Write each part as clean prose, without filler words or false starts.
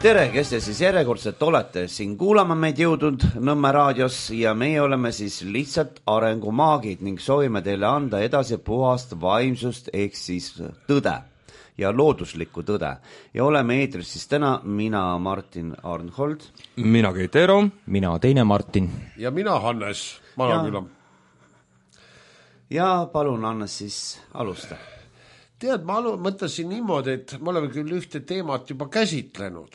Tere, kes te siis järjekordselt olete siin kuulama meid jõudnud Nõmme raadios ja meie oleme siis lihtsalt arengumaagid ning soovime teile anda edasi puhast vaimsust ehk siis tõde ja looduslikku tõde. Ja oleme eetris siis täna mina Martin Arnhold. Mina Keit Eero. Mina teine Martin. Ja mina Hannes Malaküla. Ja palun Hannes siis alusta. Tead, ma mõtlesin niimoodi, et me oleme küll ühte teemat juba käsitlenud,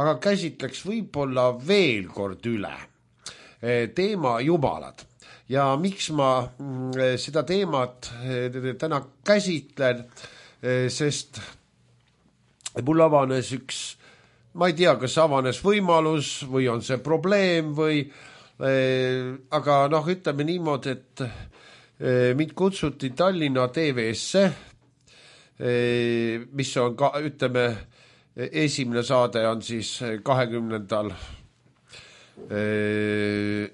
aga käsitleks võib-olla veel kord üle teema jumalad. Ja miks ma seda teemat täna käsitlen, sest mul avanes üks, ma ei tea, kas avanes võimalus või on see probleem või, aga ütleme niimoodi, et mind kutsuti Tallinna TV-sse, mis on ka, ütleme, esimene saade on siis 20.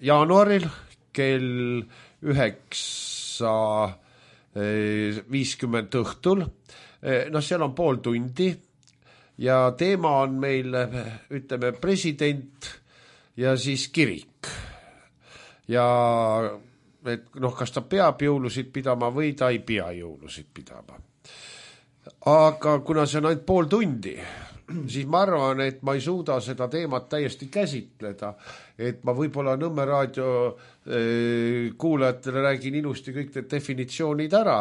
jaanuaril kell 9:50 õhtul. Seal on pool tundi ja teema on meil, ütleme, president ja siis kirik. Ja et kas ta peab jõulusid pidama või ta ei pea jõulusid pidama. Aga kuna see on ainult pool tundi, siis ma arvan, et ma ei suuda seda teemat täiesti käsitleda, et ma võib-olla Nõmme raadio kuulajatele räägin ilusti kõik need definitsioonid ära,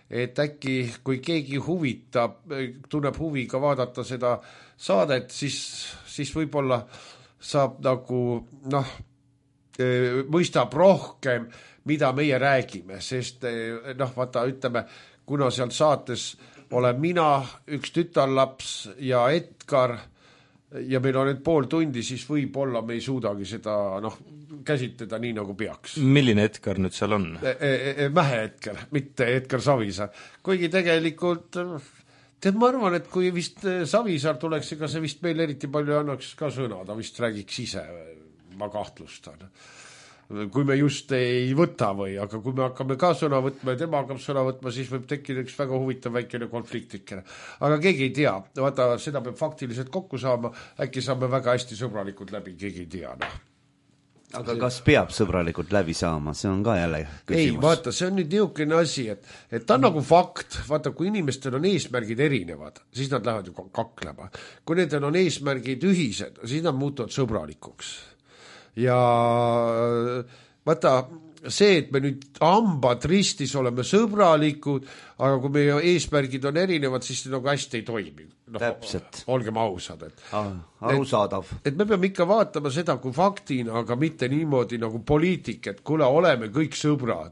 et äkki kui keegi huvitab, tunneb huviga vaadata seda saadet, siis võib-olla saab nagu, mõistab rohkem, mida meie räägime, sest vaata, ütleme, kuna seal saates olen mina, üks tütarlaps ja Edgar ja meil on nüüd pool tundi, siis võib-olla me ei suudagi seda käsitleda nii, nagu peaks. Milline Edgar nüüd seal on? Mähe Edgar, mitte Edgar Savisaar. Kuigi tegelikult, ma arvan, et kui vist Savisaar tuleks, ega see vist meil eriti palju annaks ka sõna, ta vist räägiks ise, ma kahtlustan. Kui me just ei võta või, aga kui me hakkame ka sõna võtma ja tema hakkab sõna võtma, siis võib tekkida üks väga huvitav väikene konfliktikene. Aga keegi ei tea, vaata, seda peab faktiliselt kokku saama, äkki saame väga hästi sõbralikult läbi, keegi ei tea. Aga kas peab sõbralikult läbi saama, see on ka jälle küsimus. Ei, vaata, see on nüüd niisugune asi, et ta on nagu fakt, vaata, kui inimestel on eesmärgid erinevad, siis nad lähevad ju kaklema. Kui nendel on eesmärgid ühised, siis nad muutuvad sõbralikuks. Ja vaata, see, et me nüüd hambad ristis oleme sõbralikud, aga kui meie eesmärgid on erinevad, siis see nagu hästi ei toimi. Täpselt. Olgem ausad. Arusaadav. Et me peame ikka vaatama seda kui faktina, aga mitte niimoodi nagu poliitik, et kuule, oleme kõik sõbrad.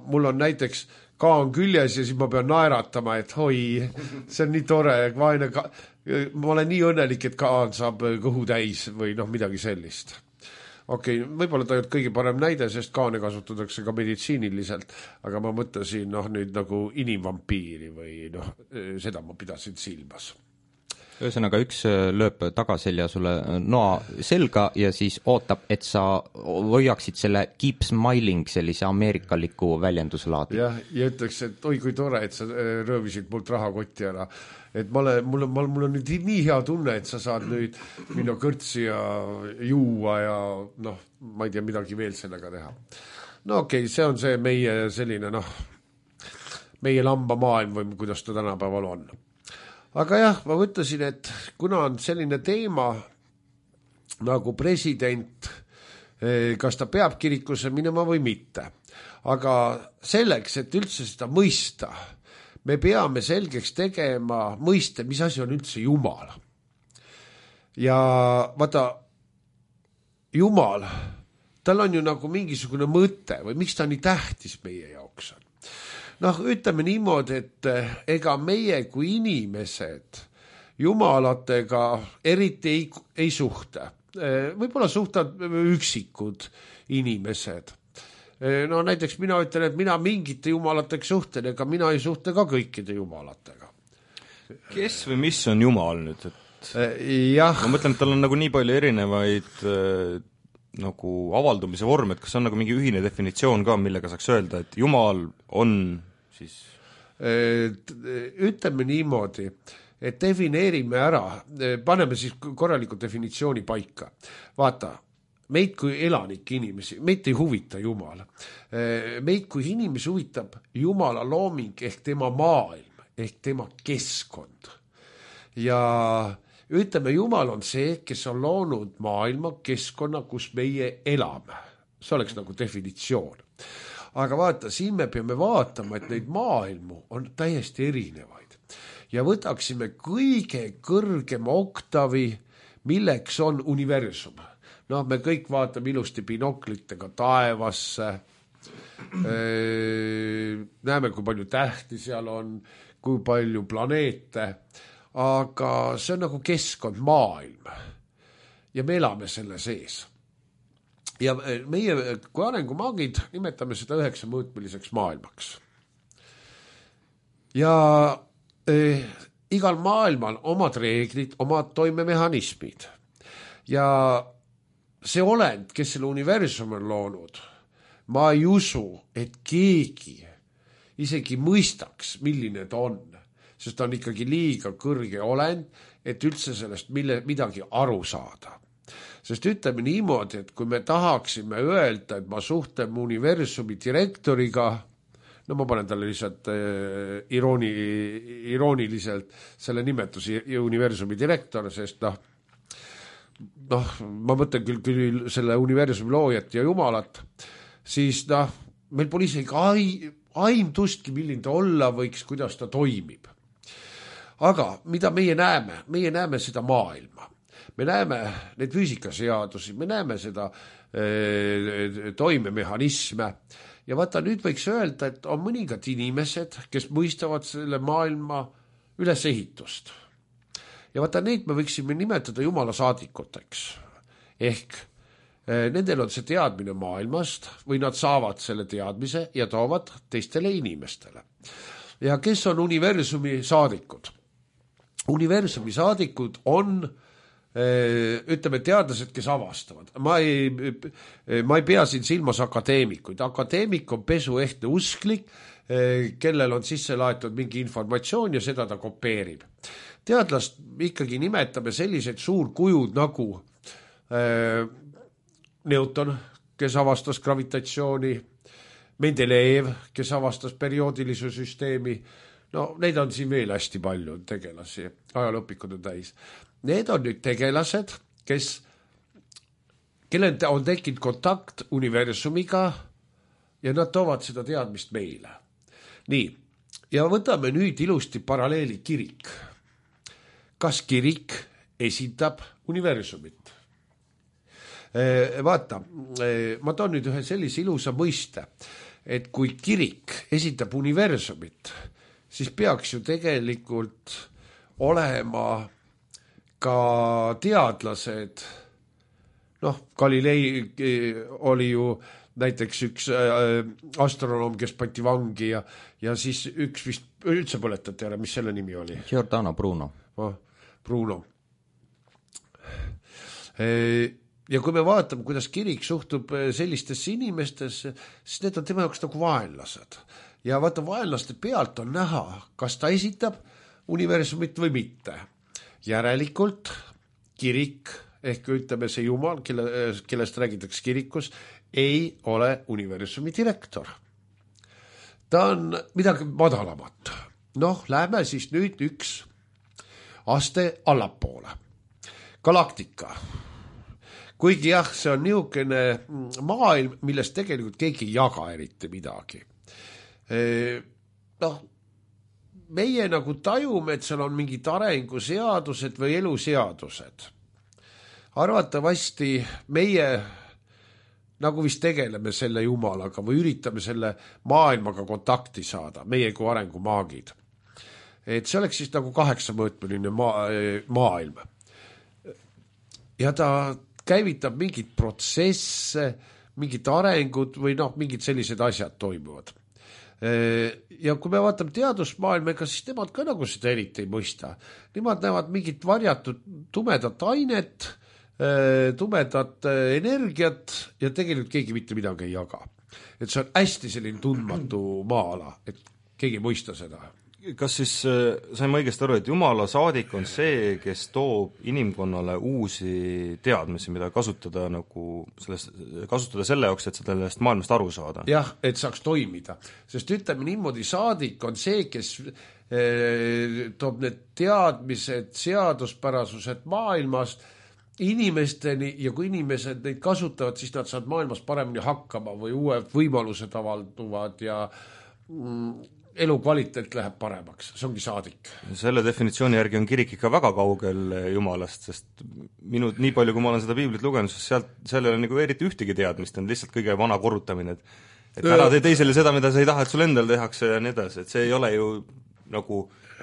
Mul on näiteks kaan küljes ja siis ma pean naeratama, et hoi, see on nii tore, ma olen nii õnnelik, et kaan saab kõhu täis või midagi sellist. Okei, võib-olla ta ei olnud kõige parem näide, sest kaane kasutatakse ka meditsiiniliselt, aga ma mõtlesin nüüd nagu inimvampiiri või seda ma pidasin silmas. Ühesõnaga, üks lööb tagaselja sulle noa selga ja siis ootab, et sa hoiaksid selle keep smiling sellise ameerikaliku väljenduslaadi. Ja ütleks, et oi kui tore, et sa röövisid mult rahakotti ära. Et mul on nüüd nii hea tunne, et sa saad nüüd minna kõrtsi ja juua ja ma ei tea midagi veel sellega teha. Okei, see on see meie selline meie lamba maailm või kuidas ta tänapäeval on. Aga jah, ma mõtlesin, et kuna on selline teema nagu president, kas ta peab kirikusse minema või mitte, aga selleks, et üldse seda mõista, me peame selgeks tegema mõiste, mis asi on üldse Jumal. Ja vaata, Jumal, tal on ju nagu mingisugune mõte või miks ta nii tähtis meie jaoks on. Ütleme niimoodi, et ega meie kui inimesed jumalatega eriti ei suhte. Võib-olla suhtavad üksikud inimesed. Näiteks mina ütlen, et mina mingite jumalatega suhtlen, ega mina ei suhtle ka kõikide jumalatega. Kes või mis on Jumal nüüd? Jah. Ma mõtlen, et tal on nagu nii palju erinevaid nagu avaldumise vorm, et kas on nagu mingi ühine definitsioon ka, millega saaks öelda, et Jumal on siis? Ütleme niimoodi, et defineerime ära, paneme siis korraliku definitsiooni paika. Vaata, meid kui elanike inimesi, meid ei huvita Jumal. Meid kui inimesi huvitab Jumala looming ehk tema maailm, ehk tema keskkond. Ja ütleme, Jumal on see, kes on loonud maailma keskkonna, kus meie elame. See oleks nagu definitsioon. Aga vaata, siin me peame vaatama, et neid maailmu on täiesti erinevaid. Ja võtaksime kõige kõrgema oktavi, milleks on universum. No me kõik vaatame ilusti binoklitega taevasse, näeme, kui palju tähti seal on, kui palju planeete, aga see on nagu keskkond, maailm. Ja me elame selle sees. Ja meie kui arengumaagid nimetame seda 9-mõõtmeliseks maailmaks. Ja igal maailmal omad reeglid, omad toimemehhanismid. Ja see olend, kes selle universum on loonud, ma ei usu, et keegi isegi mõistaks, milline ta on. Sest ta on ikkagi liiga kõrge olend, et üldse sellest midagi aru saada. Sest ütleme niimoodi, et kui me tahaksime öelda, et ma suhtlen universumi direktoriga, no ma panen talle lihtsalt irooniliselt selle nimetuse universumi direktor, sest ma mõtlen küll selle universumi loojat ja Jumalat, siis meil pole isegi aimdustki, milline ta olla võiks, kuidas ta toimib. Aga mida meie näeme? Meie näeme seda maailma. Me näeme neid füüsikaseadusi, me näeme seda toimemehhanisme ja vaata, nüüd võiks öelda, et on mõningad inimesed, kes mõistavad selle maailma ülesehitust. Ja vaata, neid me võiksime nimetada Jumala saadikuteks. Ehk nendel on see teadmine maailmast või nad saavad selle teadmise ja toovad teistele inimestele. Ja kes on universumi saadikud? Universumi saadikud on ütleme teadlased, kes avastavad. Ma ei pea siin silmas akadeemikuid. Akadeemik on pesuehtne usklik, kellel on sisse laetud mingi informatsioon ja seda ta kopeerib. Teadlast ikkagi nimetame sellised suurkujud nagu Newton, kes avastas gravitatsiooni, Mendelejev, kes avastas perioodilisuse süsteemi. No neid on siin veel hästi palju tegelasi, ajalooõpikud on täis. Need on nüüd tegelased, kellel on tekkinud kontakt universumiga ja nad toovad seda teadmist meile. Nii, ja võtame nüüd ilusti paralleeli kirik. Kas kirik esindab universumit? Vaata, ma toon nüüd ühe sellise ilusa mõiste, et kui kirik esindab universumit, siis peaks ju tegelikult olema ka teadlased, Galilei oli ju näiteks üks astronoom, kes pandi vangi ja siis üks vist üldse põletati ära, mis selle nimi oli? Giordano Bruno. Bruno. Ja kui me vaatame, kuidas kirik suhtub sellistesse inimestesse, siis need on tema jaoks nagu vaenlased. Ja vaata, vaenlaste pealt on näha, kas ta esitab universumit või mitte. Järelikult kirik, ehk ütleme see Jumal, kellest räägitakse kirikus, ei ole universumi direktor. Ta on midagi madalamat. Lähme siis nüüd üks aste allapoole. Galaktika. Kuigi jah, see on niisugune maailm, millest tegelikult keegi ei jaga eriti midagi. Meie nagu tajume, et seal on mingid arenguseadused või eluseadused. Arvatavasti meie nagu vist tegeleme selle Jumalaga või üritame selle maailmaga kontakti saada, meie kui arengumaagid. Et see oleks siis nagu 8-mõõtmeline maailm. Ja ta käivitab mingid protsesse, mingid arengud või mingid sellised asjad toimuvad. Ja kui me vaatame teadusmaailmaga, siis nemad ka nagu seda eriti ei mõista. Nemad näevad mingit varjatud tumedat ainet, tumedat energiat ja tegelikult keegi mitte midagi ei jaga. Et see on hästi selline tundmatu maa-ala, et keegi ei mõista seda. kas siis sain ma õigesti aru, et Jumala saadik on see, kes toob inimkonnale uusi teadmisi, mida kasutada kasutada selle jaoks, et sellest maailmast aru saada? Jah, et saaks toimida. Sest ütleme niimoodi, saadik on see, kes toob need teadmised, seaduspärasused maailmast inimesteni ja kui inimesed neid kasutavad, siis nad saavad maailmas paremini hakkama või uued võimalused avalduvad ja elukvaliteet läheb paremaks, see ongi saadik. Selle definitsiooni järgi on kirik ikka väga kaugel Jumalast, sest nii palju, kui ma olen seda piiblit lugenud, siis seal ei ole nagu eriti ühtegi teadmist, on lihtsalt kõige vana korrutamine, et ära tee teisele seda, mida sa ei taha, et sul endal tehakse ja nii edasi, et see ei ole ju nagu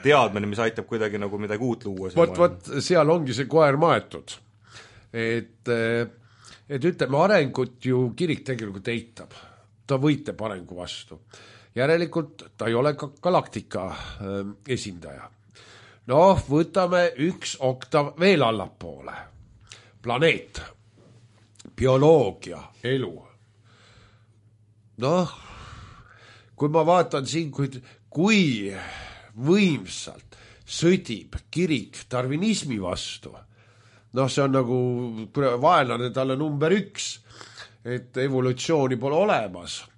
teadmine, mis aitab kuidagi nagu midagi uut luua. Vot, seal ongi see koer maetud. Et ütleme, arengut ju kirik tegelikult eitab. Ta võitleb arengu vastu. Järelikult ta ei ole ka galaktika esindaja. Võtame üks oktav veel allapoole. Planeet, bioloogia, elu. Kui ma vaatan siin, kui võimsalt sõdib kirik darwinismi vastu, see on nagu vaenlane talle number 1, et evolutsiooni pole olemas.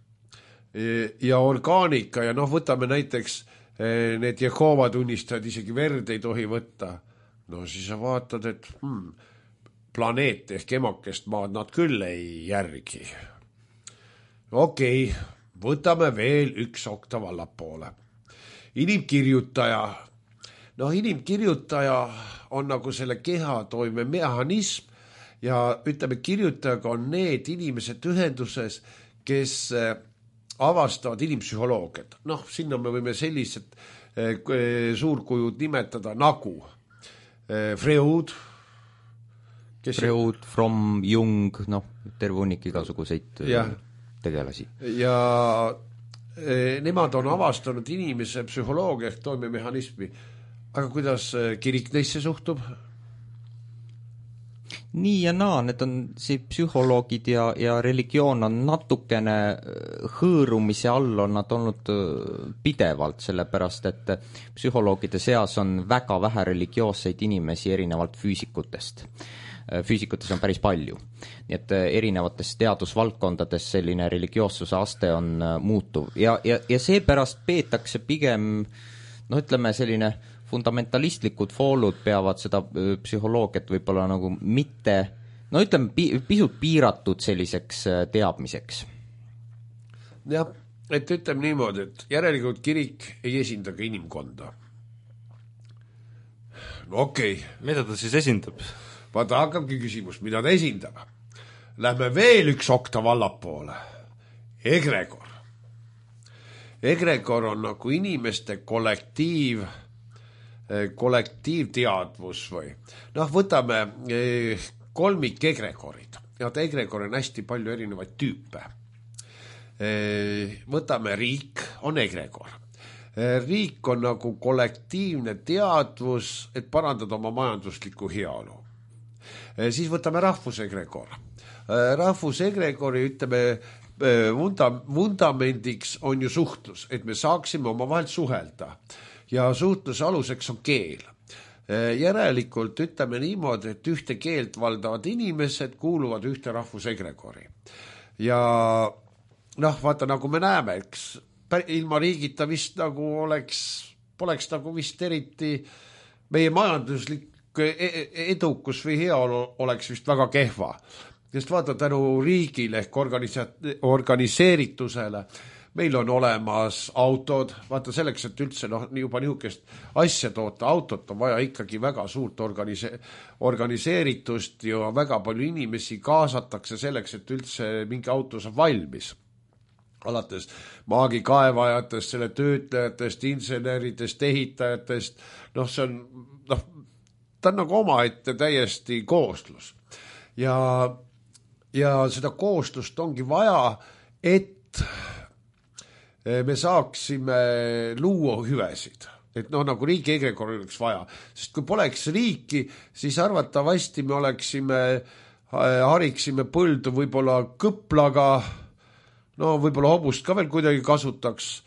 Ja orgaanika ja võtame näiteks need Jehova tunnistajad, isegi verd ei tohi võtta. Siis sa vaatad, et planeet ehk emakest maad nad küll ei järgi. Okei, võtame veel üks oktav allapoole. Inimkirjutaja. Inimkirjutaja on nagu selle keha toime mehhanism ja ütleme, kirjutajaga on need inimesed ühenduses, kes avastavad inimpsühholoogiat. Sinna me võime sellised suurkujud nimetada nagu Freud, Fromm, Jung, terve hunnik igasuguseid tegelasi. Ja nemad on avastanud inimese psühholoogia ehk toimemehhanismi. Aga kuidas kirik neisse suhtub? Nii ja naa, need on psühholoogid ja religioon on natukene hõõrumise all on nad olnud pidevalt, sellepärast et psühholoogide seas on väga vähe religioosseid inimesi erinevalt füüsikutest. Füüsikutes on päris palju. Nii et erinevates teadusvaldkondades selline religioossuse aste on muutuv ja seepärast peetakse pigem, ütleme selline fundamentalistlikud foolud peavad seda psühholoogiat võib-olla nagu mitte, ütleme pisut piiratud selliseks teadmiseks. Jah, et ütleme niimoodi, et järelikult kirik ei esinda ka inimkonda. Okei. Mida ta siis esindab? Vaata, hakkabki küsimus, mida ta esindab. Lähme veel üks oktav allapoole. Egregor. Egregor on nagu inimeste kollektiivteadvus või. Võtame kolmik egregorid. Ja egregor on hästi palju erinevaid tüüpe. Võtame riik, on egregor. Riik on nagu kollektiivne teadvus, et parandada oma majanduslikku heaolu. Siis võtame rahvusegregor. Rahvusegregori, ütleme, vundamendiks on ju suhtlus, et me saaksime omavahel suhelda. Ja suhtluse aluseks on keel. Järelikult ütleme niimoodi, et ühte keelt valdavad inimesed kuuluvad ühte rahvusegregori. Ja vaata, nagu me näeme, eks ilma riigita vist nagu poleks nagu vist eriti meie majanduslik edukus või heaolu oleks vist väga kehva. Sest vaata, tänu riigile ehk organiseeritusele meil on olemas autod, vaata selleks, et üldse juba niisugust asja toota, autot on vaja ikkagi väga suurt organiseeritust ja väga palju inimesi kaasatakse selleks, et üldse mingi auto saab valmis. Alates maagikaevajatest, selle töötajatest, inseneridest, ehitajatest, see on, ta on nagu omaette täiesti kooslus. Ja seda kooslust ongi vaja, et me saaksime luua hüvesid. Et nagu riigi egregor oleks vaja. Sest kui poleks riiki, siis arvatavasti me hariksime põldu võib-olla kõplaga, võib-olla hobust ka veel kuidagi kasutaks,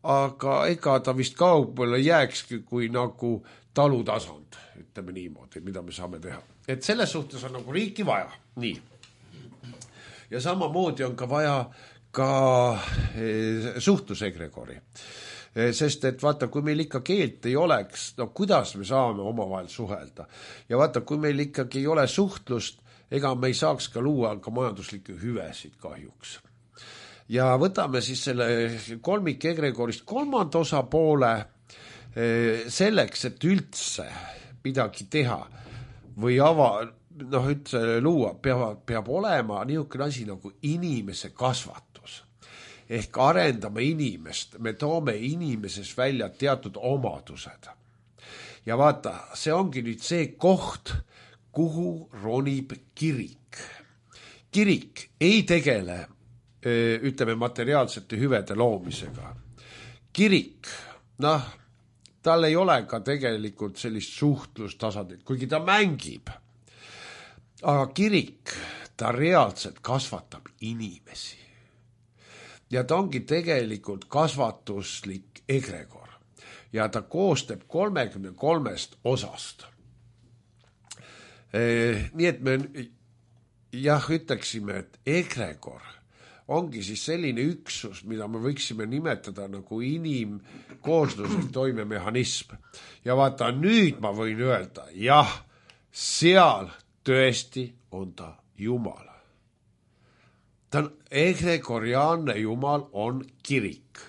aga ega ta vist kaugele jääkski kui nagu talutasand, ütleme niimoodi, mida me saame teha. Et selles suhtes on nagu riiki vaja, nii. Ja samamoodi on ka vaja ka suhtlusegregori. Sest et vaata, kui meil ikka keelt ei oleks, no kuidas me saame omavahel suhelda. Ja vaata, kui meil ikkagi ei ole suhtlust, ega me ei saaks ka luua ka majanduslikke hüvesid kahjuks. Ja võtame siis selle kolmik egregorist kolmanda osapoole selleks, et üldse midagi teha või üldse luua, peab olema niisugune asi nagu inimese kasvatus. Ehk arendame inimest, me toome inimeses välja teatud omadused. Ja vaata, see ongi nüüd see koht, kuhu ronib kirik. Kirik ei tegele, ütleme, materiaalsete hüvede loomisega. Kirik, tal ei ole ka tegelikult sellist suhtlustasandit, kuigi ta mängib. Aga kirik, ta reaalselt kasvatab inimesi. Ja ta ongi tegelikult kasvatuslik egregor. Ja ta koostab 33 osast. Nii et me ütleksime, et egregor ongi siis selline üksus, mida me võiksime nimetada nagu inimkoosluslik toimemehhanism. Ja vaata, nüüd ma võin öelda, jah, seal tõesti on ta Jumal. Ta on egregoriaalne Jumal, on kirik.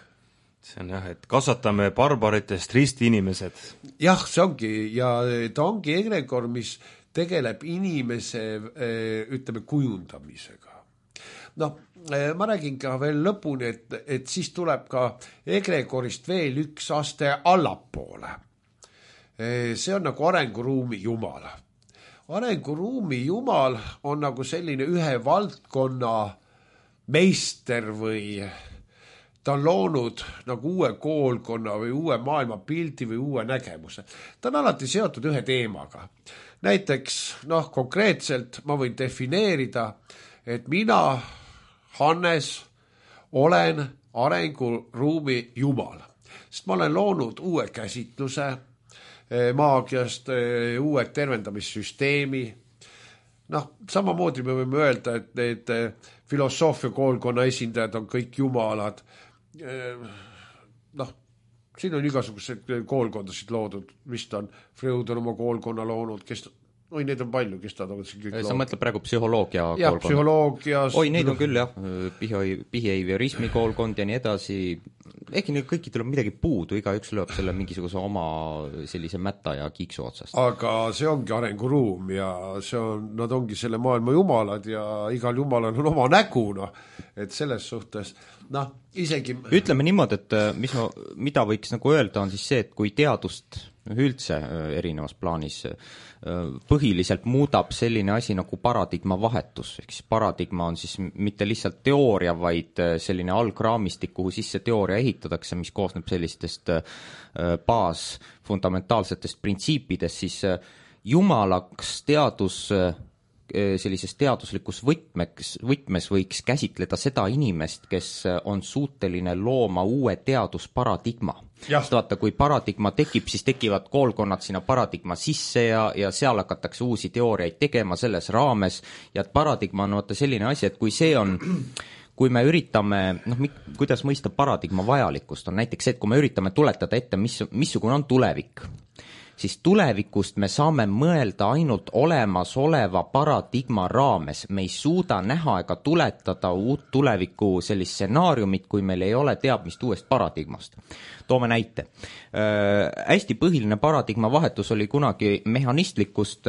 See on jah, et kasvatame barbaritest ristiinimesed. Jah, see ongi, ja ta ongi egregor, mis tegeleb inimese, ütleme, kujundamisega. Ma räägin ka veel lõpuni, et siis tuleb ka egregorist veel üks aste allapoole. See on nagu arenguruumi Jumal. Arenguruumi Jumal on nagu selline ühe valdkonna meister või ta on loonud nagu uue koolkonna või uue maailmapildi või uue nägemuse. Ta on alati seotud ühe teemaga. Näiteks, konkreetselt ma võin defineerida, et mina, Hannes, olen arenguruumi Jumal. Sest ma olen loonud uue käsitluse maagiast, uue tervendamissüsteemi. Samamoodi me võime öelda, et need filosoofia koolkonna esindajad on kõik jumalad. Siin on igasuguseid koolkondasid loodud, vist on Freud on oma koolkonna loonud, neid on palju, kes ta on kõik loodud. Sa mõtled praegu psühholoogia koolkonna? Jah, psühholoogias. Neid on küll, jah, behaviorismi koolkond ja nii edasi. Ehkki neil kõiki tuleb midagi puudu, igaüks lööb selle mingisuguse oma sellise mätta ja kiiksu otsast. Aga see ongi arenguruum ja nad ongi selle maailma jumalad ja igal jumalal on oma nägu, et selles suhtes, isegi... Ütleme niimoodi, et mida võiks nagu öelda on siis see, et kui teadust üldse erinevas plaanis põhiliselt muudab selline asi nagu paradigma vahetus, ehk siis paradigma on siis mitte lihtsalt teooria, vaid selline algraamistik, kuhu sisse teooria ehitatakse, mis koosneb sellistest fundamentaalsetest printsiipidest, siis jumalaks teadus sellises teaduslikus võtmes võiks käsitleda seda inimest, kes on suuteline looma uue teadusparadigma. Vaata, kui paradigma tekib, siis tekivad koolkonnad sinna paradigma sisse ja seal hakatakse uusi teooriaid tegema selles raames ja paradigma on selline asi, et kui me üritame, kuidas mõista paradigma vajalikkust, on näiteks see, et kui me üritame tuletada ette, missugune on tulevik, siis tulevikust me saame mõelda ainult olemasoleva paradigma raames. Me ei suuda näha ega tuletada uut tuleviku sellist stsenaariumit, kui meil ei ole teadmist uuest paradigmast. Toome näite. Hästi põhiline paradigma vahetus oli kunagi mehhanistlikust,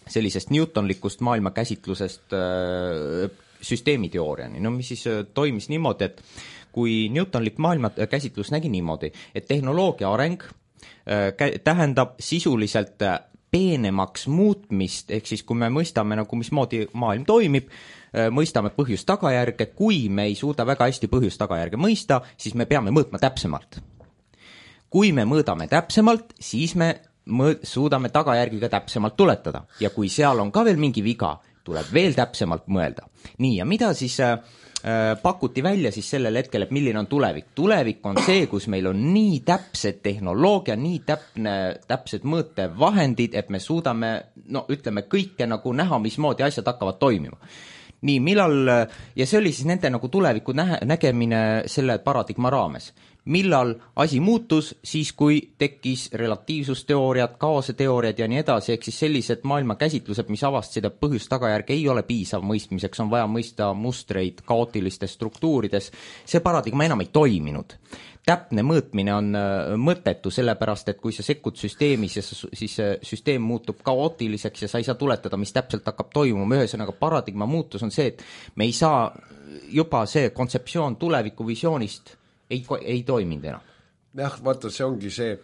sellisest newtonlikust maailmakäsitlusest süsteemiteooriani. Mis siis toimis niimoodi, et kui newtonlik maailmakäsitlus nägi niimoodi, et tehnoloogia areng tähendab sisuliselt peenemaks muutmist, ehk siis kui me mõistame, mismoodi maailm toimib, mõistame põhjust-tagajärge, kui me ei suuda väga hästi põhjust-tagajärge mõista, siis me peame mõõtma täpsemalt. Kui me mõõdame täpsemalt, siis me suudame tagajärgi ka täpsemalt tuletada ja kui seal on ka veel mingi viga, tuleb veel täpsemalt mõelda. Nii, ja mida siis pakuti välja siis sellel hetkel, et milline on tulevik? Tulevik on see, kus meil on nii täpsed tehnoloogia, nii täpsed mõõtevahendid, et me suudame, no ütleme, kõike nagu näha, mismoodi asjad hakkavad toimima. Nii, ja see oli siis nende nagu tuleviku nägemine selle paradigma raames. Millal asi muutus, siis kui tekkis relatiivsusteooriad, kaoseteooriad ja nii edasi, ehk siis sellised maailmakäsitlused, mis avastasid, et põhjus-tagajärg ei ole piisav mõistmiseks, on vaja mõista mustreid kaootilistes struktuurides, see paradigma enam ei toiminud. Täpne mõõtmine on mõttetu, sellepärast, et kui sa sekkud süsteemis ja siis süsteem muutub kaootiliseks ja sa ei saa tuletada, mis täpselt hakkab toimuma, ühesõnaga paradigma muutus on see, et me ei saa juba see kontseptsioon tulevikuvisioonist ei toiminud enam. Jah, vaata, see ongi see,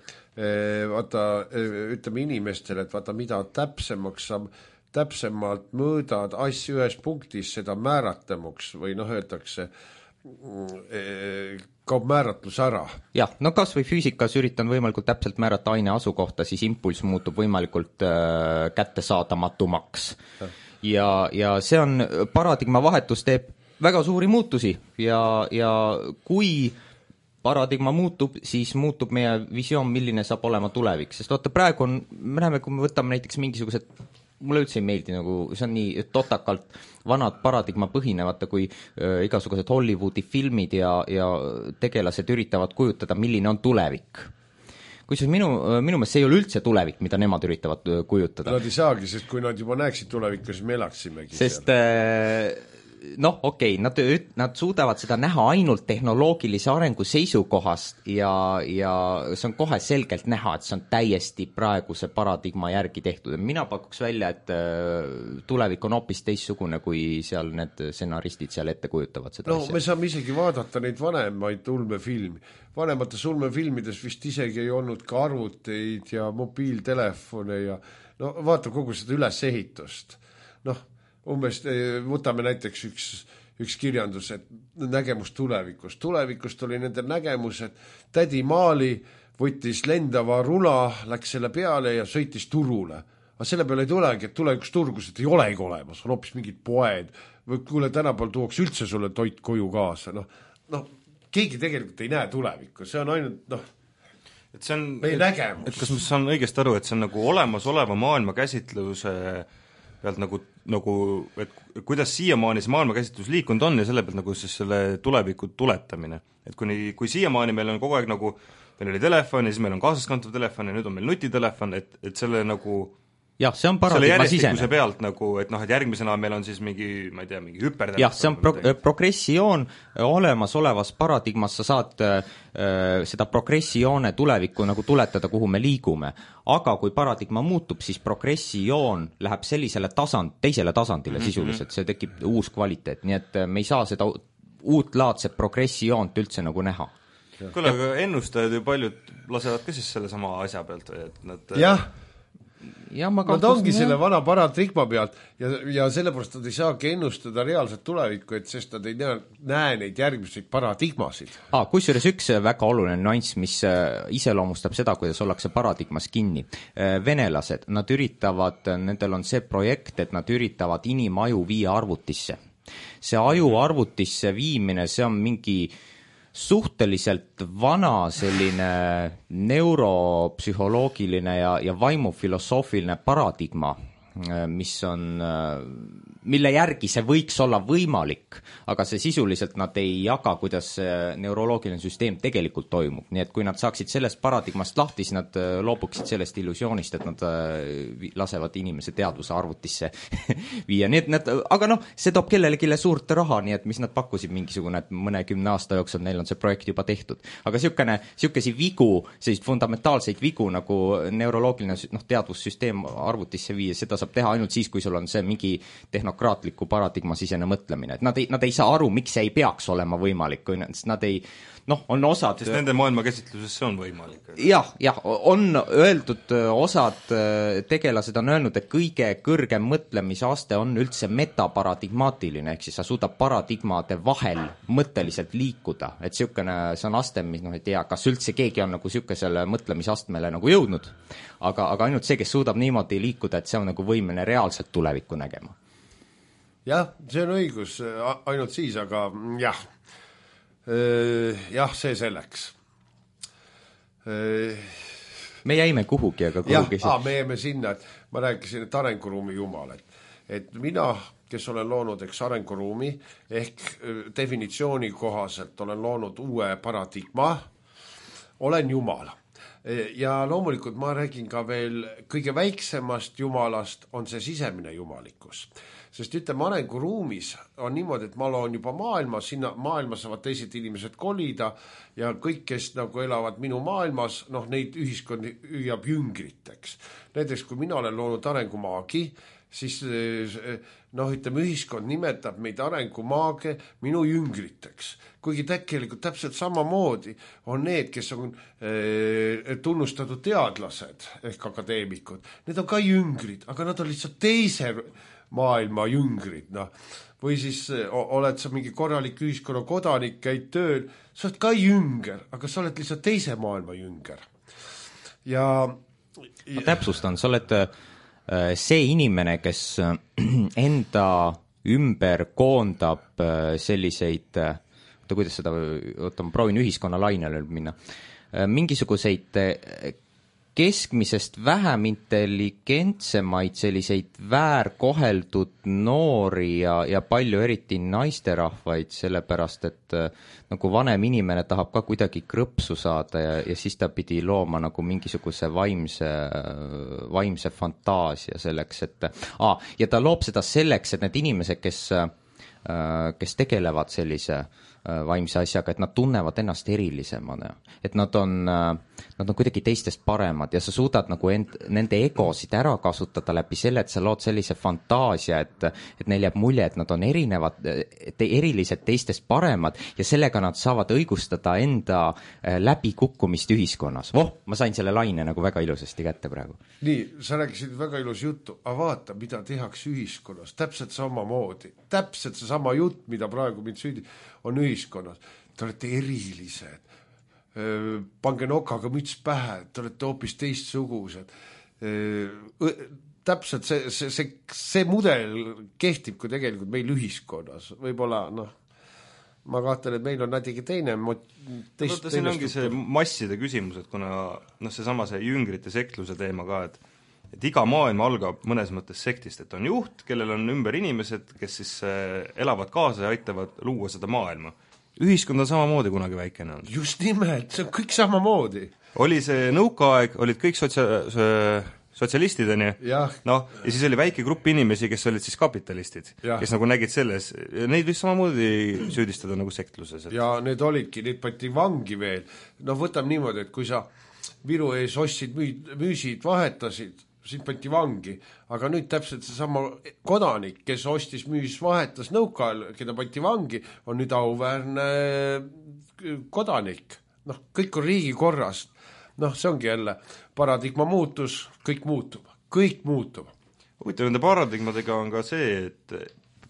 vaata, ütleme inimestele, et vaata, mida täpsemalt mõõdad asju ühes punktis, seda määratlemuks või öeldakse, kaob määratlus ära. Jah, no kas või füüsikas üritan võimalikult täpselt määrata aine asukohta, siis impulss muutub võimalikult kättesaadamatumaks. Ja see on, paradigma vahetus teeb väga suuri muutusi ja kui paradigma muutub, siis muutub meie visioon, milline saab olema tulevik. Sest vaata, praegu me näeme, kui me võtame näiteks mingisugused, mulle üldse ei meeldi, nagu see on nii totakalt vanad paradigma põhinevate, kui igasugused Hollywoodi filmid ja tegelased üritavad kujutada, milline on tulevik. Kusjuures minu meelest see ei ole üldse tulevik, mida nemad üritavad kujutada. Nad ei saagi, sest kui nad juba näeksid tulevikku, siis me elaksimegi sest noh, okei, nad suudavad seda näha ainult tehnoloogilise arengu seisukohast ja see on kohe selgelt näha, et see on täiesti praeguse paradigma järgi tehtud. Mina pakuks välja, et tulevik on hoopis teistsugune, kui seal need stsenaristid seal ette kujutavad seda asja. Me saame isegi vaadata neid vanemaid ulmefilmi. Vanemates ulmefilmides vist isegi ei olnud ka arvuteid ja mobiiltelefone ja no vaata kogu seda ülesehitust. Umbes võtame näiteks üks kirjandus, et nägemus tulevikust. Tulevikust oli nende nägemus, et tädi Maali võttis lendava rula, läks selle peale ja sõitis turule. Aga selle peale ei tulegi, et tulevikus turgused ei olegi olemas, on hoopis mingid poed. Või kuule, tänapäeval tuuaks üldse sulle toit koju kaasa. Keegi tegelikult ei näe tulevikku, see on ainult et see on, meie nägemus. Et kas ma saan õigesti aru, et see on nagu olemasoleva maailmakäsitluse pealt nagu, et kuidas siiamaani see maailmakäsitlus liikunud on ja selle pealt nagu siis selle tuleviku tuletamine. Et kui siiamaani meil on kogu aeg nagu, meil oli telefon ja siis meil on kaasaskantav telefon ja nüüd on meil nutitelefon, et selle nagu jah, see on paradigma sisene. Pealt nagu, et järgmisena meil on siis mingi, ma ei tea, mingi hüpertelefon. Jah, see on progressioon olemasolevas paradigmas, sa saad seda progressioone tulevikku nagu tuletada, kuhu me liigume. Aga kui paradigma muutub, siis progressioon läheb sellisele teisele tasandile sisuliselt, see tekib uus kvaliteet, nii et me ei saa seda uutlaadset progressioont üldse nagu näha. Kuule, aga ennustajad ju paljud lasevad ka siis selle sama asja pealt või, et nad nad ongi selle vana paradigma pealt ja sellepärast nad ei saagi ennustada reaalset tulevikku, et sest nad ei näe neid järgmiseid paradigmasid. Kusjuures üks väga oluline nüanss, mis iseloomustab seda, kuidas ollakse paradigmas kinni. Venelased, nendel on see projekt, et nad üritavad inimaju viia arvutisse. See aju arvutisse viimine, see on mingi suhteliselt vana selline neuropsühholoogiline ja vaimufilosoofiline paradigma, mille järgi see võiks olla võimalik, aga see sisuliselt nad ei jaga, kuidas neuroloogiline süsteem tegelikult toimub. Nii et kui nad saaksid sellest paradigmast lahti, siis nad loobuksid sellest illusioonist, et nad lasevad inimese teadvuse arvutisse viia. Nii et aga see toob kellelegi suurt raha, nii et mis nad pakkusid mingisugune, et mõnekümne aasta jooksul neil on see projekt juba tehtud. Aga sihukesi vigu, sellised fundamentaalseid vigu nagu neuroloogiline teadvussüsteem arvutisse viia, seda saab teha ainult siis, kui sul on see mingi tehnokraatliku paradigma sisene mõtlemine, et nad ei saa aru, miks see ei peaks olema võimalik, kui nad ei, on osad sest nende maailmakäsitluses see on võimalik. Jah, on öeldud, osad tegelased on öelnud, et kõige kõrgem mõtlemisaste on üldse metaparadigmaatiline, ehk siis sa suudab paradigmade vahel mõtteliselt liikuda, et see on aste, mis ei tea, kas üldse keegi on nagu sihukesele mõtlemisastmele nagu jõudnud, aga ainult see, kes suudab niimoodi liikuda, et see on nagu võimeline reaalselt tulevikku nägema. jah, see on õigus, ainult siis, aga jah, see selleks. Me jäime kuhugi, aga kuhugi me jäime sinna, et ma rääkisin, et arenguruumi jumal, et mina, kes olen loonud arenguruumi ehk definitsiooni kohaselt olen loonud uue paradigma, olen jumal. Ja loomulikult ma räägin ka veel kõige väiksemast jumalast, on see sisemine jumalikkus. Sest ütleme, arenguruumis on niimoodi, et ma loon juba maailmas, sinna maailmas saavad teised inimesed kolida ja kõik, kes nagu elavad minu maailmas, neid ühiskond hüüab jüngriteks. Näiteks, kui mina olen loonud arengumaagi, siis ütleme, ühiskond nimetab meid arengumaage minu jüngriteks. Kuigi tegelikult täpselt samamoodi on need, kes on tunnustatud teadlased ehk akadeemikud. Need on ka jüngrid, aga nad on lihtsalt teise maailma jüngrid. Või siis oled sa mingi korralik ühiskonna kodanik, käid tööl, sa oled ka jünger, aga sa oled lihtsalt teise maailma jünger. Ma täpsustan, sa oled see inimene, kes enda ümber koondab selliseid, kuidas seda, ma proovin ühiskonna lainele minna, mingisuguseid keskmisest vähem intelligentsemaid selliseid väärkoheldud noori ja palju eriti naisterahvaid, sellepärast et nagu vanem inimene tahab ka kuidagi krõpsu saada ja siis ta pidi looma nagu mingisuguse vaimse fantaasia selleks, et ja ta loob seda selleks, et need inimesed, kes tegelevad sellise vaimse asjaga, et nad tunnevad ennast erilisemana, et nad on kuidagi teistest paremad ja sa suudad nagu nende egosid ära kasutada läbi selle, et sa lood sellise fantaasia, et neil jääb mulje, et nad on erilised teistest paremad ja sellega nad saavad õigustada enda läbikukkumist ühiskonnas. Ma sain selle laine nagu väga ilusasti kätte praegu. Nii, sa rääkisid väga ilus juttu, aga vaata, mida tehakse ühiskonnas, täpselt samamoodi, täpselt see sama jutt, mida praegu mind on ühiskonnas. Te olete erilised, pange nokaga müts pähe, te olete hoopis teistsugused. Täpselt see mudel kehtib kui tegelikult meil ühiskonnas. Võib-olla, ma kahtlen, et meil on natuke teine siin ongi see masside küsimus, et kuna see jüngrite sekluse teema ka, et iga maailm algab mõnes mõttes sektist, et on juht, kellel on ümber inimesed, kes siis elavad kaasa ja aitavad luua seda maailma. Ühiskond on samamoodi kunagi väikene on. Just nimelt, see on kõik samamoodi. Oli see nõukaaeg, olid kõik sotsialistid, ja siis oli väike grupp inimesi, kes olid siis kapitalistid, kes nagu nägid selles, neid võis samamoodi süüdistada nagu sektluses. Ja need olidki, neid pandi vangi veel. Võtame niimoodi, et kui sa Viru ees ostsid, müüsid, vahetasid, sind pandi vangi, aga nüüd täpselt seesama kodanik, kes ostis, müüs, vahetas nõukaajal, keda pandi vangi, on nüüd auväärne kodanik. Kõik on riigi korras. See ongi jälle paradigma muutus, kõik muutub. Huvitav, nende paradigmadega on ka see, et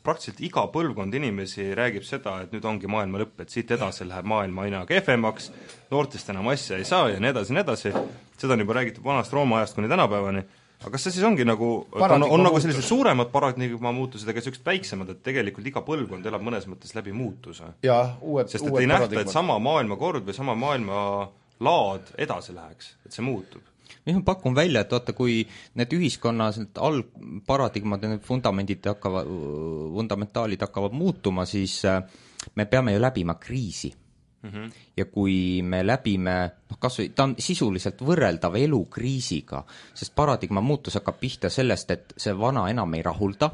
praktiliselt iga põlvkond inimesi räägib seda, et nüüd ongi maailma lõpp, et siit edasi läheb maailma aina kehvemaks, noortest enam asja ei saa ja nii edasi. Seda on juba räägitud vanast Rooma ajast kuni tänapäevani. Aga kas see siis ongi nagu, on nagu sellised suuremad paradigma muutused, aga sellised väiksemad, et tegelikult iga põlvkond elab mõnes mõttes läbi muutuse? Sest et ei nähta, et sama maailmakord või sama maailma laad edasi läheks, et see muutub. Ma pakun välja, et vaata, kui need ühiskonnas algparadigmad ja need fundamentaalid hakkavad muutuma, siis me peame ju läbima kriisi. Ja kui me läbime, kasvõi ta on sisuliselt võrreldav elukriisiga, sest paradigma muutus hakkab pihta sellest, et see vana enam ei rahulda,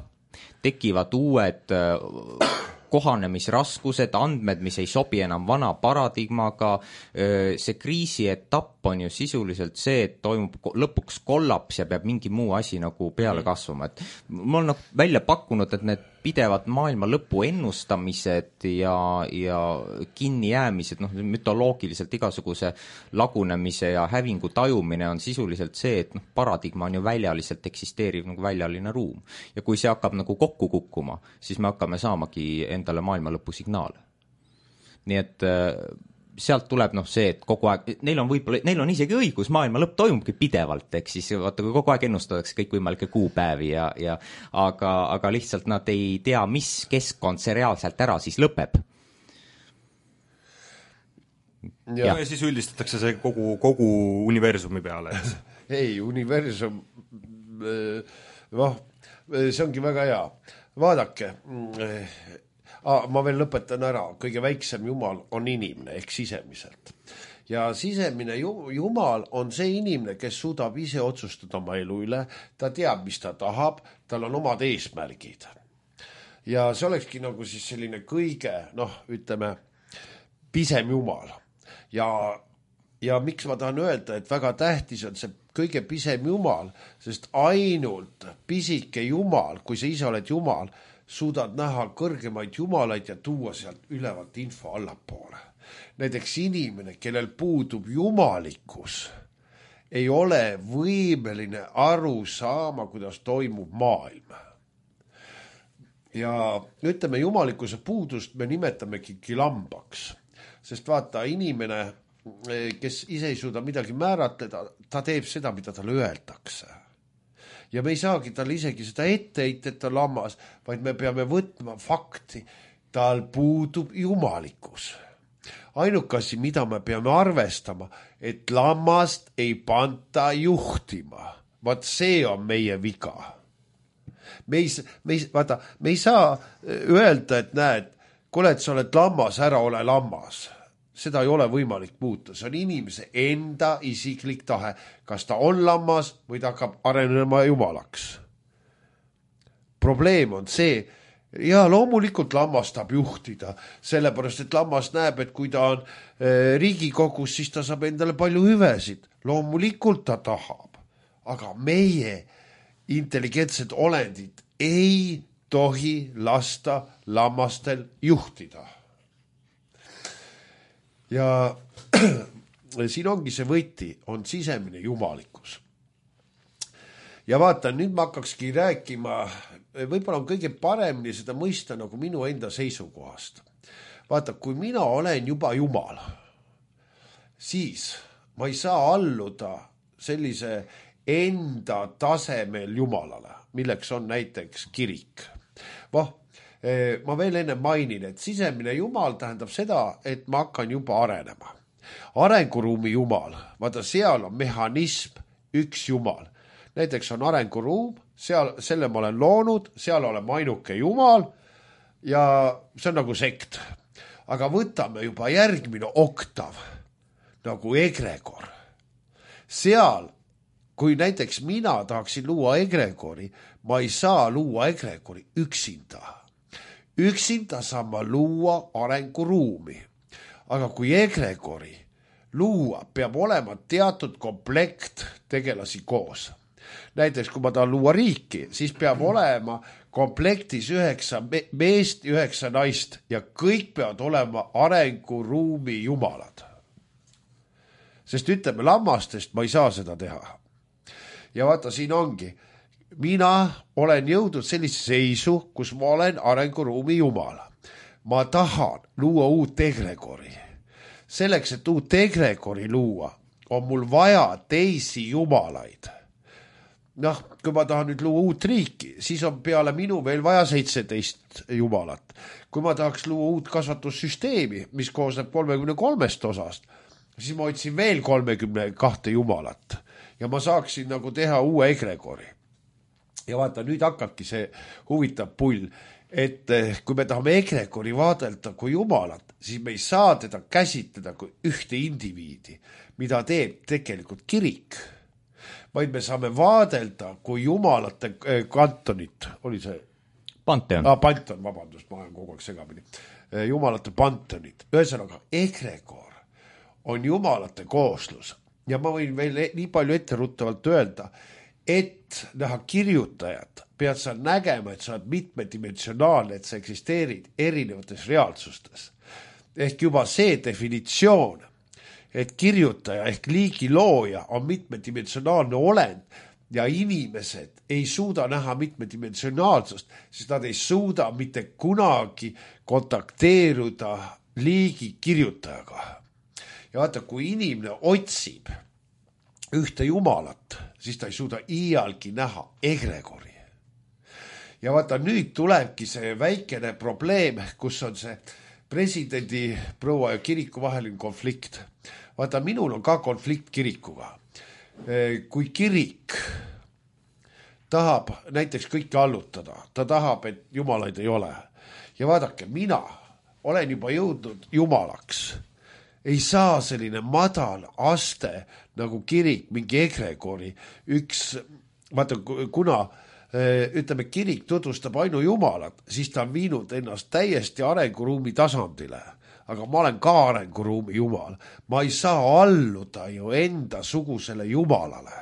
tekivad uued kohanemisraskused, andmed, mis ei sobi enam vana paradigmaga, see kriisi etapp on ju sisuliselt see, et toimub lõpuks kollaps ja peab mingi muu asi nagu peale kasvama. Et ma olen välja pakkunud, et need pidevad maailma lõpu ennustamised ja kinnijäämised, mütoloogiliselt igasuguse lagunemise ja hävingu tajumine on sisuliselt see, et paradigma on ju väljaliselt eksisteeriv nagu väljaline ruum. Ja kui see hakkab nagu kokku kukkuma, siis me hakkame saamagi endale maailma lõpu signaale. Nii et sealt tuleb see, et kogu aeg, neil on isegi õigus, maailma lõpp toimubki pidevalt, ehk siis vaata, kui kogu aeg ennustatakse kõikvõimalikke kuupäevi aga lihtsalt nad ei tea, mis keskkond see reaalselt ära siis lõpeb. Ja siis üldistatakse see kogu universumi peale. Ei, universum, see ongi väga hea. Vaadake, ma veel lõpetan ära, kõige väiksem jumal on inimene ehk sisemiselt. Ja sisemine jumal on see inimene, kes suudab ise otsustada oma elu üle, ta teab, mis ta tahab, tal on omad eesmärgid. Ja see olekski nagu siis selline kõige, ütleme, pisem jumal. Ja miks ma tahan öelda, et väga tähtis on see kõige pisem jumal, sest ainult pisike jumal, kui sa ise oled jumal, suudad näha kõrgemaid jumalaid ja tuua sealt ülevalt info allapoole. Näiteks inimene, kellel puudub jumalikkus, ei ole võimeline aru saama, kuidas toimub maailm. Ja ütleme, jumalikkuse puudust me nimetamegi lambaks. Sest vaata, inimene, kes ise ei suuda midagi määratleda, ta teeb seda, mida talle öeldakse. Ja me ei saagi talle isegi seda etteheita, et ta lammas, vaid me peame võtma fakti, tal puudub jumalikkus. Ainukasi, mida me peame arvestama, et lammast ei panta juhtima. Vaat see on meie viga. Me ei saa öelda, et näed, kuule, et sa oled lammas, ära ole lammas. Seda ei ole võimalik muuta. See on inimese enda isiklik tahe. Kas ta on lammas või ta hakkab arenema jumalaks. Probleem on see, ja loomulikult lammas tahab juhtida, sellepärast, et lammas näeb, et kui ta on Riigikogus, siis ta saab endale palju hüvesid. Loomulikult ta tahab. Aga meie intelligentsed olendid ei tohi lasta lammastel juhtida. Ja siin ongi see võti, on sisemine jumalikkus. Ja vaata, nüüd ma hakkakski rääkima, võib-olla on kõige paremini seda mõista nagu minu enda seisukohast. Vaata, kui mina olen juba jumal, siis ma ei saa alluda sellise enda tasemel jumalale, milleks on näiteks kirik. Ma veel enne mainin, et sisemine jumal tähendab seda, et ma hakkan juba arenema. Arenguruumi jumal, vaata seal on mehhanism, üks jumal. Näiteks on arenguruum, selle ma olen loonud, seal oleme ainuke jumal ja see on nagu sekt. Aga võtame juba järgmine oktav, nagu egregor. Seal, kui näiteks mina tahaksin luua egregori, ma ei saa luua egregori üksinda. Üksinda saan ma luua arenguruumi. Aga kui egregori luua, peab olema teatud komplekt tegelasi koos. Näiteks, kui ma tahan luua riiki, siis peab olema komplektis 9 meest, 9 naist ja kõik peavad olema arenguruumi jumalad. Sest ütleme, lammastest ma ei saa seda teha. Ja vaata, siin ongi. Mina olen jõudnud sellise seisu, kus ma olen arenguruumi jumal. Ma tahan luua uut egregori. Selleks, et uut egregori luua, on mul vaja teisi jumalaid. Kui ma tahan nüüd luua uut riiki, siis on peale minu veel vaja 17 jumalat. Kui ma tahaks luua uut kasvatussüsteemi, mis koosneb 33 osast, siis ma otsin veel 32 jumalat. Ja ma saaksin nagu teha uue egregori. Ja vaata, nüüd hakkabki see huvitav pull, et kui me tahame egregori vaadelda kui jumalat, siis me ei saa teda käsitleda kui ühte indiviidi, mida teeb tegelikult kirik, vaid me saame vaadelda kui jumalate kantonit. Oli see? Panteon. Panteon, vabandust, ma olen kogu aeg segamini. Jumalate panteonid. Ühesõnaga, egregor on jumalate kooslus. Ja ma võin veel nii palju etteruttavalt öelda, et näha kirjutajat, pead sa nägema, et sa oled mitmedimensionaalne, et sa eksisteerid erinevates reaalsustes. Ehk juba see definitsioon, et kirjutaja ehk liigi looja on mitmedimensionaalne olend ja inimesed ei suuda näha mitmedimensionaalsust, sest nad ei suuda mitte kunagi kontakteeruda liigi kirjutajaga. ja vaata, kui inimene otsib ühte jumalat, siis ta ei suuda iialgi näha egregori. Ja vaata, nüüd tulebki see väikene probleem, kus on see presidendi proua ja kiriku vaheline konflikt. Vaata, minul on ka konflikt kirikuga. Kui kirik tahab näiteks kõike allutada, ta tahab, et jumalaid ei ole. Ja vaadake, mina olen juba jõudnud jumalaks. Ei saa selline madal aste nagu kirik, mingi egregori. Vaata, kuna ütleme, kirik tutvustab ainu jumalat, siis ta on viinud ennast täiesti arenguruumi tasandile. Aga ma olen ka arenguruumi jumal. Ma ei saa alluda ju enda sugusele jumalale.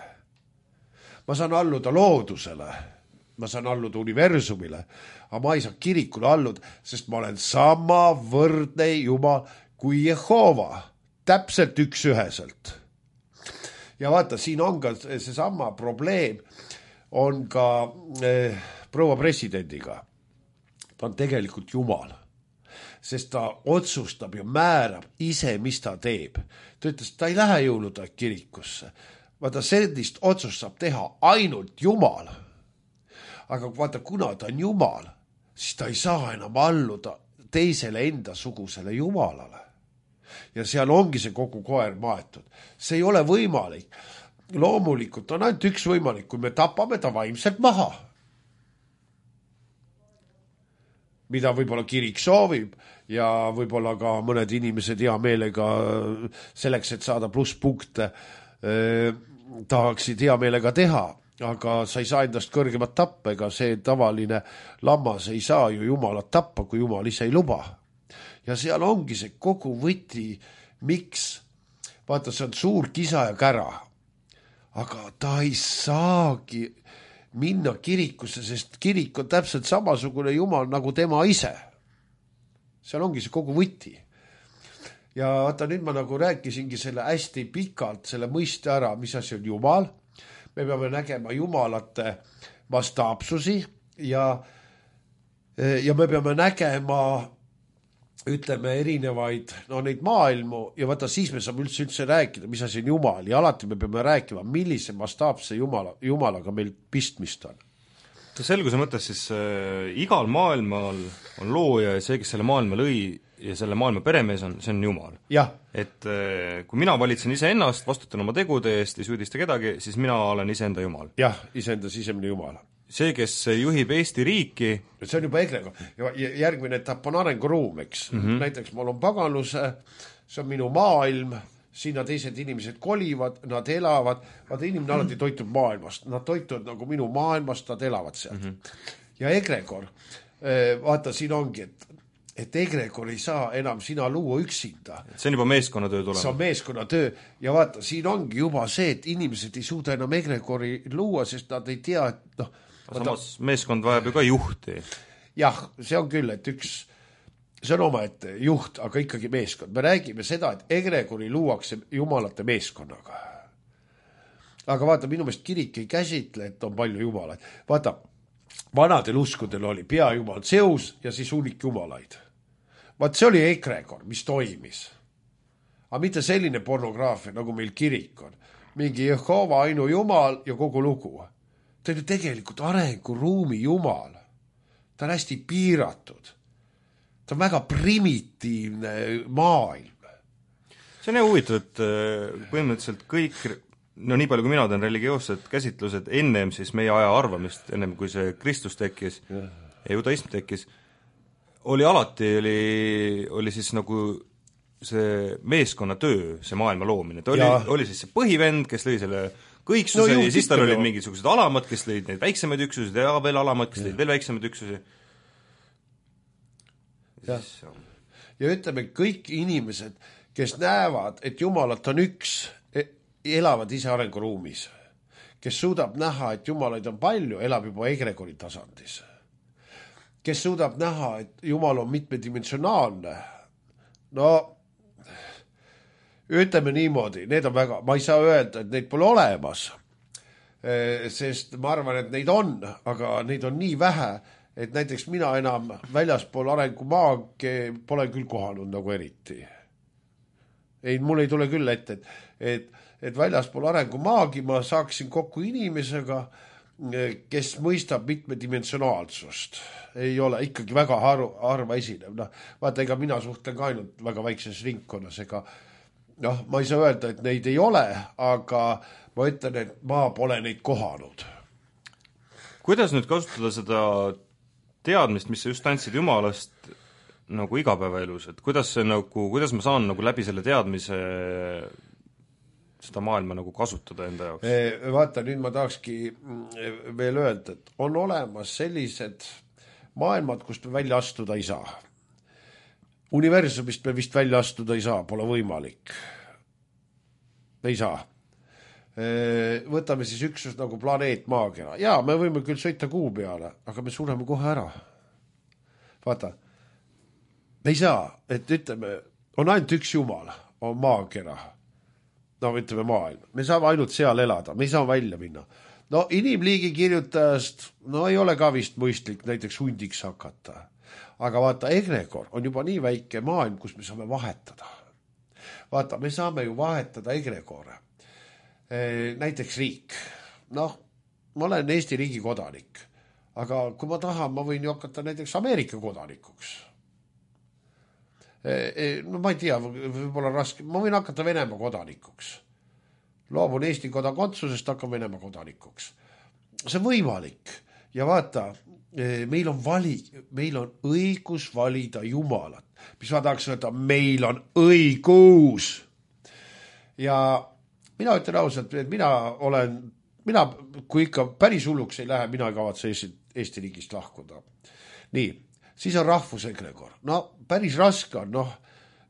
Ma saan alluda loodusele. Ma saan alluda universumile. Aga ma ei saa kirikule alluda, sest ma olen sama võrdne jumal kui Jehova. Täpselt üksüheselt. Ja vaata, siin on ka seesama probleem on ka proua presidendiga. Ta on tegelikult jumal. Sest ta otsustab ja määrab ise, mis ta teeb. Ta ütles, ta ei lähe jõuluda kirikusse. Vaata, sellist otsust saab teha ainult jumal. Aga vaata, kuna ta on jumal, siis ta ei saa enam alluda teisele enda sugusele jumalale. Ja seal ongi see kogu koer maetud. See ei ole võimalik. Loomulikult on ainult üks võimalik, kui me tapame ta vaimselt maha. Mida võib-olla kirik soovib ja võib-olla ka mõned inimesed hea meelega selleks, et saada plusspunkte, tahaksid hea meelega teha, aga sa ei saa endast kõrgemat tappa, ega see tavaline lammas ei saa ju jumalat tappa, kui jumal ise ei luba. Ja seal ongi see kogu võti, miks, vaata, see on suur kisa ja kära, aga ta ei saagi minna kirikusse, sest kirik on täpselt samasugune jumal nagu tema ise. Seal ongi see kogu võti. Ja vaata, nüüd ma nagu rääkisingi selle hästi pikalt, selle mõiste ära, mis asi on jumal. Me peame nägema jumalate mastaapsusi ja me peame nägema, ütleme, erinevaid neid maailmu ja vaata, siis me saame üldse rääkida, mis asi on jumal ja alati me peame rääkima, millise mastaapse jumalaga meil pistmist on. Selguse mõttes siis igal maailmal on looja ja see, kes selle maailma lõi ja selle maailma peremees on, see on jumal. Et kui mina valitsen iseennast, vastutan oma tegude eest, ei süüdista kedagi, siis mina olen iseenda jumal. Jah, iseenda sisemine jumal. See, kes juhib Eesti riiki... See on juba egrego. Ja järgmine etapp on arenguruum, eks. Näiteks mul on paganluse, see on minu maailm, sinna teised inimesed kolivad, nad elavad, vaata, inimene alati toitub maailmast, nad toituvad nagu minu maailmast, nad elavad sealt. Ja egregor, vaata, siin ongi, et egregor ei saa enam sina luua üksinda. See on juba meeskonnatöö tulema. See on meeskonnatöö ja vaata, siin ongi juba see, et inimesed ei suuda enam egregori luua, sest nad ei tea, et samas meeskond vajab ju ka juhti. Jah, see on küll, et see on oma ette juht, aga ikkagi meeskond. Me räägime seda, et egregori luuakse jumalate meeskonnaga. Aga vaata, minu meelest kirik ei käsitle, et on palju jumalaid. Vaata, vanadel uskudel oli peajumal Zeus ja siis hunnik jumalaid. Vaat see oli egregor, mis toimis. Aga mitte selline pornograafia, nagu meil kirik on. Mingi Jehova ainu jumal ja kogu lugu. Ta on ju tegelikult arenguruumi jumal. Ta on hästi piiratud. Ta on väga primitiivne maailm. See on huvitav, et põhimõtteliselt kõik, nii palju kui mina tean religioossed käsitlused ennem siis meie aja arvamist, ennem kui see Kristus tekkis ja judaism tekkis, oli siis nagu see meeskonnatöö, see maailma loomine. Ta oli siis see põhivend, kes lõi selle kõiksuse ja siis tal olid mingisugused alamad, kes lõid neid väiksemaid üksusid ja veel alamad, kes lõid veel väiksemaid üksusi. Ja ütleme, kõik inimesed, kes näevad, et jumalat on üks, elavad ise arenguruumis. Kes suudab näha, et jumalaid on palju, elab juba egregori tasandis. Kes suudab näha, et jumal on mitmedimensionaalne, ütleme niimoodi, need on väga, ma ei saa öelda, et neid pole olemas, sest ma arvan, et neid on, aga neid on nii vähe, et näiteks mina enam väljaspool arengumaag pole küll kohanud nagu eriti. ei, mul ei tule küll ette, et väljaspool arengumaagi ma saaksin kokku inimesega, kes mõistab mitmedimensionaalsust. Ei ole ikkagi väga harva esinev. No, vaata, ega mina suhtlen ka ainult väga väikses ringkonnas, ega ma ei saa öelda, et neid ei ole, aga ma ütlen, et ma pole neid kohanud. Kuidas nüüd kasutada seda teadmist, mis sa just andsid Jumalast nagu igapäevaelus, et kuidas ma saan nagu läbi selle teadmise seda maailma nagu kasutada enda jaoks? Vaata, nüüd ma tahakski veel öelda, et on olemas sellised maailmad, kust me välja astuda ei saa. Universumist me vist välja astuda ei saa, pole võimalik. Ei saa. Võtame siis üksus nagu planeet Maakera. Jaa, me võime küll sõita kuu peale, aga me sureme kohe ära. Vaata, me ei saa, et ütleme, on ainult üks Jumal, on Maakera. No ütleme maailm. Me saame ainult seal elada, me ei saa välja minna. No inimliigi kirjutajast, no ei ole ka vist mõistlik näiteks hundiks hakata. Aga vaata, egregor on juba nii väike maailm, kus me saame vahetada. Vaata, me saame ju vahetada egregore. Näiteks riik. Noh, ma olen Eesti riigi kodanik, aga kui ma tahan, ma võin ju hakata näiteks Ameerika kodanikuks. No ma ei tea, võib-olla raske, ma võin hakata Venemaa kodanikuks. Loobun Eesti kodakondsusest, hakkan Venemaa kodanikuks. See on võimalik. Ja vaata, meil on õigus valida Jumalat. Mis ma tahaks öelda, meil on õigus. Ja mina ütlen ausalt, et mina, kui ikka päris hulluks ei lähe, mina ei kavatse Eesti riigist lahkuda. Nii, siis on rahvusegregor. No päris raske on,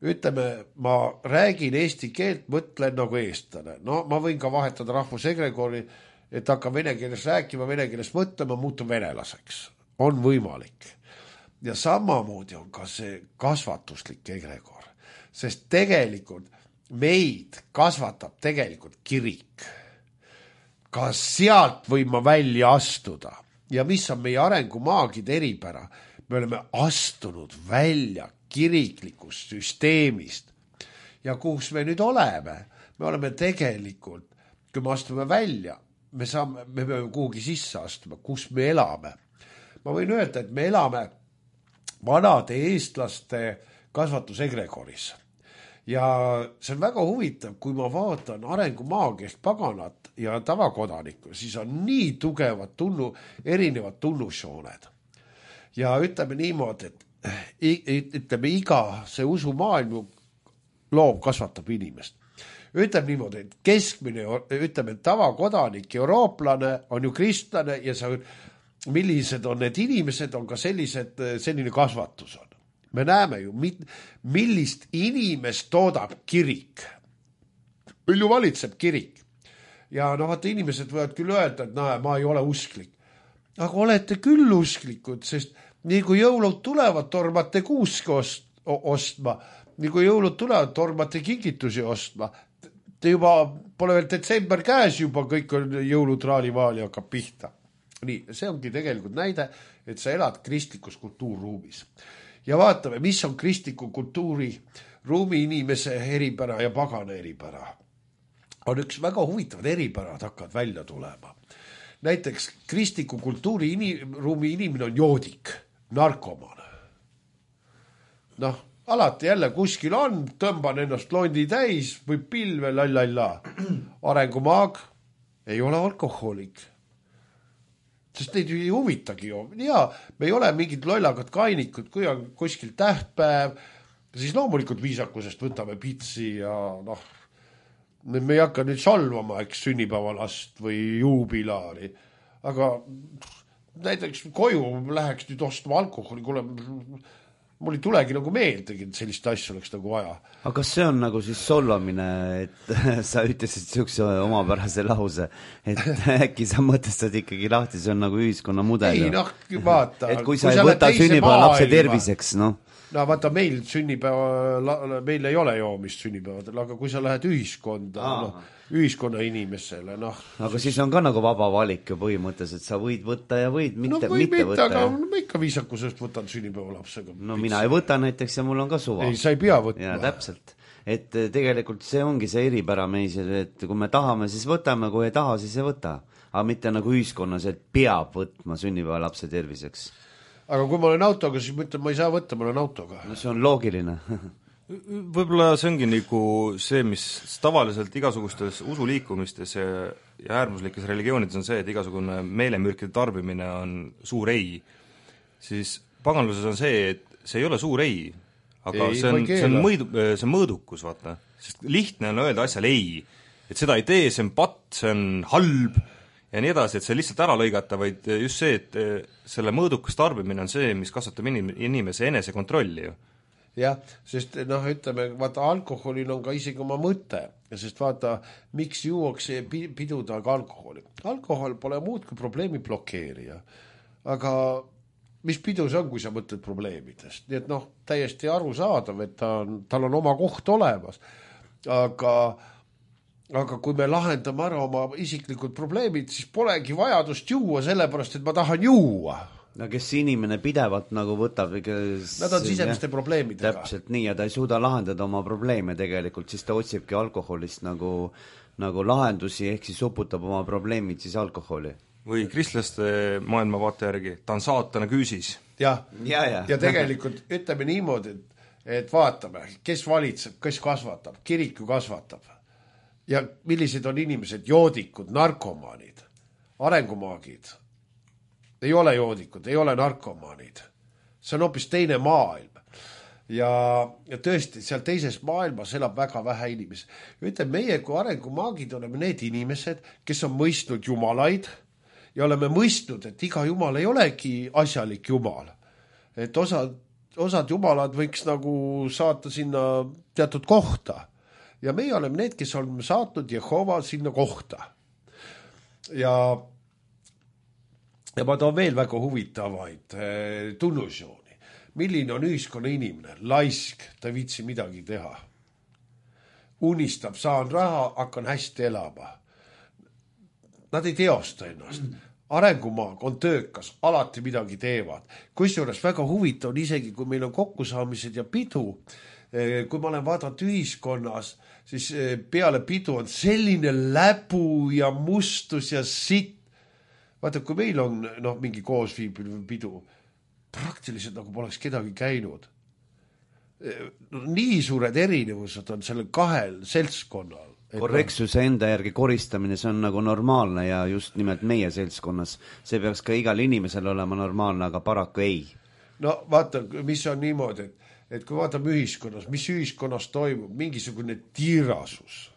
ütleme, ma räägin eesti keelt, mõtlen nagu eestlane. No ma võin ka vahetada rahvusegregori, et hakkan vene keeles rääkima, vene keeles mõtlema, muutun venelaseks. On võimalik. Ja samamoodi on ka see kasvatuslik egregor. Sest tegelikult meid kasvatab tegelikult kirik. Ka sealt võin ma välja astuda. Ja mis on meie arengumaagide eripära? Me oleme astunud välja kiriklikust süsteemist. Ja kus me nüüd oleme? Me oleme tegelikult, kui me astume välja, me peame kuhugi sisse astuma, kus me elame. Ma võin öelda, et me elame vanade eestlaste kasvatusegregoris. Ja see on väga huvitav, kui ma vaatan arengumaagiast paganat ja tavakodanikku, siis on nii tugevad erinevad tunnusjooned. Ja ütleme niimoodi, et ütleme iga see usumaailm loov kasvatab inimest. Ütleme niimoodi, et keskmine, ütleme tavakodanik, eurooplane on ju kristlane ja millised on need inimesed, on ka selline kasvatus on. Me näeme ju, millist inimest toodab kirik. Meil ju valitseb kirik. Ja vaata, inimesed võivad küll öelda, et ma ei ole usklik. Aga olete küll usklikud, sest nii kui jõulud tulevad, tormate kuuske ostma. Nii kui jõulud tulevad, tormate kingitusi ostma. Te juba pole veel detsember käes, juba kõik on jõulutraalivaali hakkab pihta. Nii, see ongi tegelikult näide, et sa elad kristlikus kultuurruumis. Ja vaatame, mis on kristliku kultuuri ruumi inimese eripära ja pagana eripära. On üks väga huvitavad eripärad hakkavad välja tulema. Näiteks kristliku kultuuri ruumi inimene on joodik, narkoman. Alati jälle kuskil on, tõmban ennast londi täis või pilve, lallalla. Arengumaag ei ole alkohoolik. Sest neid ei huvitagi ju. Ja me ei ole mingid lollagad kainikud, kui on kuskil tähtpäev, siis loomulikult viisakusest võtame pitsi ja me ei hakka nüüd salvama, eks sünnipäevalast või juubilaari. Aga näiteks koju läheks nüüd ostma alkoholi, kuule, mul ei tulegi nagu meeldegi, et sellist asja oleks nagu vaja. Aga kas see on nagu siis solvamine, et sa ütlesid sihukese omapärase lause, et äkki sa mõtestad ikkagi lahti, see on nagu ühiskonna mudel. Ei, vaata. Et kui sa ei võta sünnipäeva lapse terviseks, vaata, meil meil ei ole joomist sünnipäevadel, aga kui sa lähed ühiskonda, ühiskonna inimesele, Aga siis on ka nagu vaba valik ju põhimõttes, et sa võid võtta ja võid mitte võtta. Aga ma ikka viisakusest võtan sünnipäeva lapsega. Mina ei võta näiteks ja mul on ka suva. Ei, sa ei pea võtma. Ja täpselt. et tegelikult see ongi see eripära meis, et kui me tahame, siis võtame, kui ei taha, siis ei võta. Aga mitte nagu ühiskonnas, et peab võtma sünnipäevalapse terviseks. Aga kui ma olen autoga, siis ma ütlen, ma ei saa võtta, ma olen autoga. No see on loogiline. Võib-olla see ongi nagu see, mis tavaliselt igasugustes usuliikumistes ja äärmuslikes religioonides on see, et igasugune meelemürkide tarbimine on suur ei. Siis paganluses on see, et see ei ole suur ei, aga ei, see on mõõdukus, vaata. Sest lihtne on öelda asjal ei, et seda ei tee, see on patt, see on halb ja nii edasi, et see lihtsalt ära lõigata, vaid just see, et selle mõõdukas tarbimine on see, mis kasvatab inimese enesekontrolli ju. Jah, sest ütleme, vaata, alkoholil on ka isegi oma mõte, sest vaata, miks juuakse pidudaga alkoholi. Alkohol pole muud kui probleemi blokeerija, aga mis pidu see on, kui sa mõtled probleemidest? Nii et täiesti arusaadav, et tal on oma koht olemas, aga kui me lahendame ära oma isiklikud probleemid, siis polegi vajadust juua, sellepärast, et ma tahan juua. No kes inimene pidevalt nagu võtab nad on sisemiste probleemidega. Täpselt nii, ja ta ei suuda lahendada oma probleeme tegelikult, siis ta otsibki alkoholist nagu lahendusi, ehk siis uputab oma probleemid siis alkoholi. Või kristlaste maailmavaate järgi, ta on saatana küüsis. Ja tegelikult ütleme niimoodi, et vaatame, kes valitseb, kes kasvatab, kirik ju kasvatab. Ja millised on inimesed, joodikud, narkomaanid, arengumaagid. Ei ole joodikud, ei ole narkomaanid. See on hoopis teine maailm. Ja tõesti, seal teises maailmas elab väga vähe inimesi. Ütleme, meie kui arengumaagid oleme need inimesed, kes on mõistnud jumalaid ja oleme mõistnud, et iga jumal ei olegi asjalik jumal. Et osad jumalad võiks nagu saata sinna teatud kohta. Ja meie oleme need, kes oleme saatnud Jehova sinna kohta. Ja ma toon veel väga huvitavaid tunnusjooni. Milline on ühiskonna inimene? Laisk, ta viitsi midagi teha. Unistab, saan raha, hakkan hästi elama. Nad ei teosta ennast. Arengumaag on töökas, alati midagi teevad. Kusjuures väga huvitav on isegi, kui meil on kokkusaamised ja pidu, kui ma olen vaadanud ühiskonnas, siis peale pidu on selline läbu ja mustus ja sitt. Vaata, kui meil on mingi koosviibiv pidu, praktiliselt nagu poleks kedagi käinud. Nii suured erinevused on sellel kahel seltskonnal. Korrektsuse enda järgi koristamine, see on nagu normaalne ja just nimelt meie seltskonnas. See peaks ka igal inimesel olema normaalne, aga paraku ei. No vaata, mis on niimoodi, et kui vaatame ühiskonnas, mis ühiskonnas toimub, mingisugune tiirasus.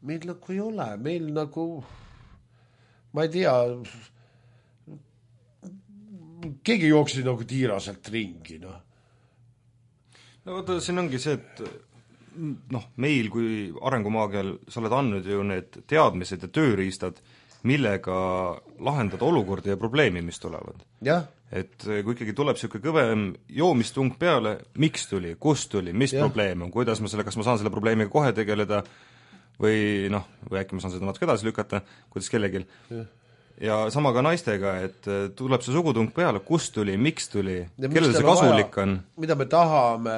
Meil nagu ei ole, meil nagu... ma ei tea, keegi jooksid nagu tiiraselt ringi, No vaata, siin ongi see, et meil kui arengumaagial sa oled andnud ju need teadmised ja tööriistad, millega lahendada olukordi ja probleemi, mis tulevad. Jah. Et kui ikkagi tuleb siuke kõvem joomistung peale, miks tuli, kust tuli, mis probleem on, kuidas ma kas ma saan selle probleemiga kohe tegeleda, või äkki ma saan seda natuke edasi lükata, kuidas kellegil. Ja sama ka naistega, et tuleb see sugutung peale, kust tuli, miks tuli, kellel see kasulik on. Mida me tahame,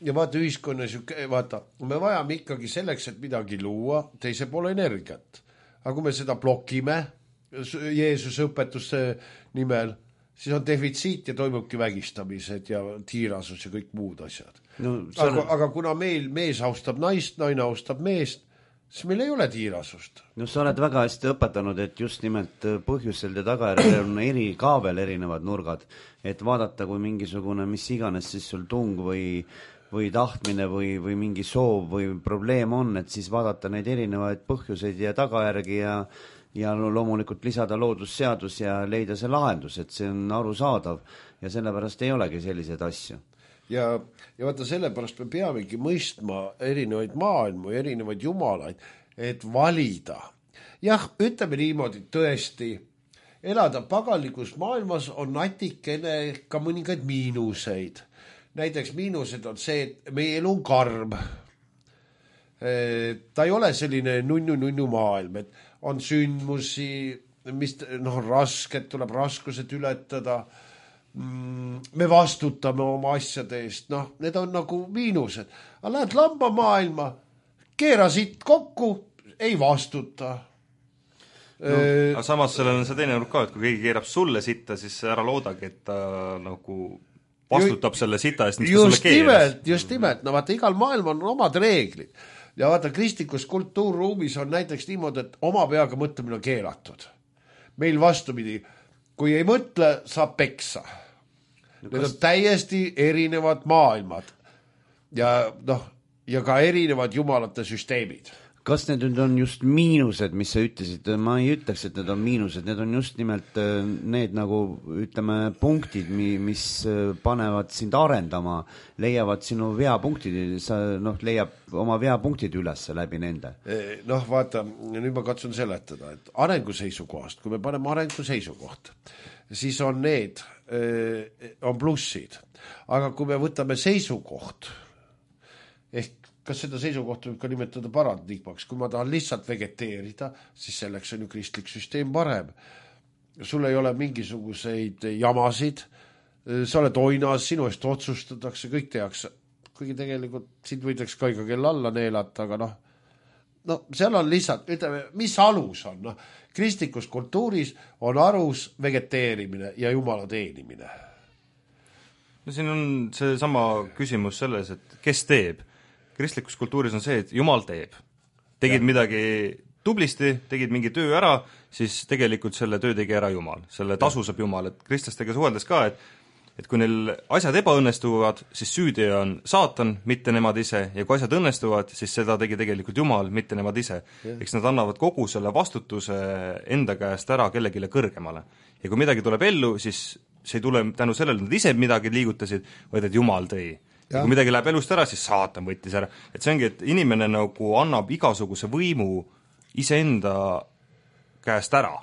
ja vaata ühiskonnas, vaata, me vajame ikkagi selleks, et midagi luua, teise poole energiat. Aga kui me seda blokime, Jeesuse õpetuse nimel, siis on defitsiit ja toimubki vägistamised ja tiirasus ja kõik muud asjad. Aga kuna meil mees austab naist, naine austab meest, siis meil ei ole tiirasust. No sa oled väga hästi õpetanud, et just nimelt põhjusel ja tagajärjel on ka veel erinevad nurgad, et vaadata, kui mingisugune mis iganes siis sul tung või tahtmine või mingi soov või probleem on, et siis vaadata neid erinevaid põhjuseid ja tagajärgi ja loomulikult lisada loodusseadus ja leida see lahendus, et see on arusaadav ja sellepärast ei olegi selliseid asju. Ja vaata, sellepärast me peamegi mõistma erinevaid maailmu, erinevaid jumalaid, et valida. Jah, ütleme niimoodi, tõesti, elada paganlikus maailmas on natikene ka mõningaid miinuseid. Näiteks miinused on see, et meie elu on karm. Ta ei ole selline nunnu maailm, et on sündmusi, mis rasked, tuleb raskused ületada. me vastutame oma asjade eest, noh, need on nagu miinused. Aga lähed lambamaailma, keera siit kokku, ei vastuta. Aga samas sellel on see teine nurk ka, et kui keegi keerab sulle sitta, siis ära loodagi, et ta nagu vastutab selle sita eest, mis ta sulle keeras. Just nimelt, no vaata, igal maailm on omad reeglid. Ja vaata, kristlikus kultuurruumis on näiteks niimoodi, et oma peaga mõtlemine on keelatud. Meil vastupidi, kui ei mõtle, saab peksa. Need on täiesti erinevad maailmad ja, noh, ja ka erinevad jumalate süsteemid. Kas need nüüd on just miinused, mis sa ütlesid? Ma ei ütleks, et need on miinused, need on just nimelt need nagu, ütleme, punktid, mis panevad sind arendama, leiavad sinu veapunktid, sa leiab oma veapunktid üles läbi nende. Noh, vaata, nüüd ma katsun seletada, et arenguseisukohast, kui me paneme arenguseisukoht, siis on need, on plussid. Aga kui me võtame seisukoht, ehk kas seda seisukohta võib ka nimetada paradigmaks, kui ma tahan lihtsalt vegeteerida, siis selleks on ju kristlik süsteem parem. Sul ei ole mingisuguseid jamasid, sa oled oinas, sinu eest otsustatakse, kõik tehakse. Kuigi tegelikult sind võidaks ka ikka kell alla neelata, aga no seal on lihtsalt, ütleme, mis alus on? No, kristlikus kultuuris on alus vegeteerimine ja jumala teenimine. No siin on see sama küsimus selles, et kes teeb? Kristlikus kultuuris on see, et Jumal teeb. Tegid midagi tublisti, tegid mingi töö ära, siis tegelikult selle töö tegi ära Jumal. Selle tasu saab Jumal. Et kristlastega suheldes ka, et kui neil asjad ebaõnnestuvad, siis süüdi on saatan, mitte nemad ise, ja kui asjad õnnestuvad, siis seda tegi tegelikult Jumal, mitte nemad ise. Eks nad annavad kogu selle vastutuse enda käest ära kellegile kõrgemale. Ja kui midagi tuleb ellu, siis see ei tule tänu sellele, nad ise midagi liigutasid, vaid et Jumal tõi. Ja kui midagi läheb elust ära, siis saatan võttis ära. Et see ongi, et inimene nagu annab igasuguse võimu iseenda käest ära.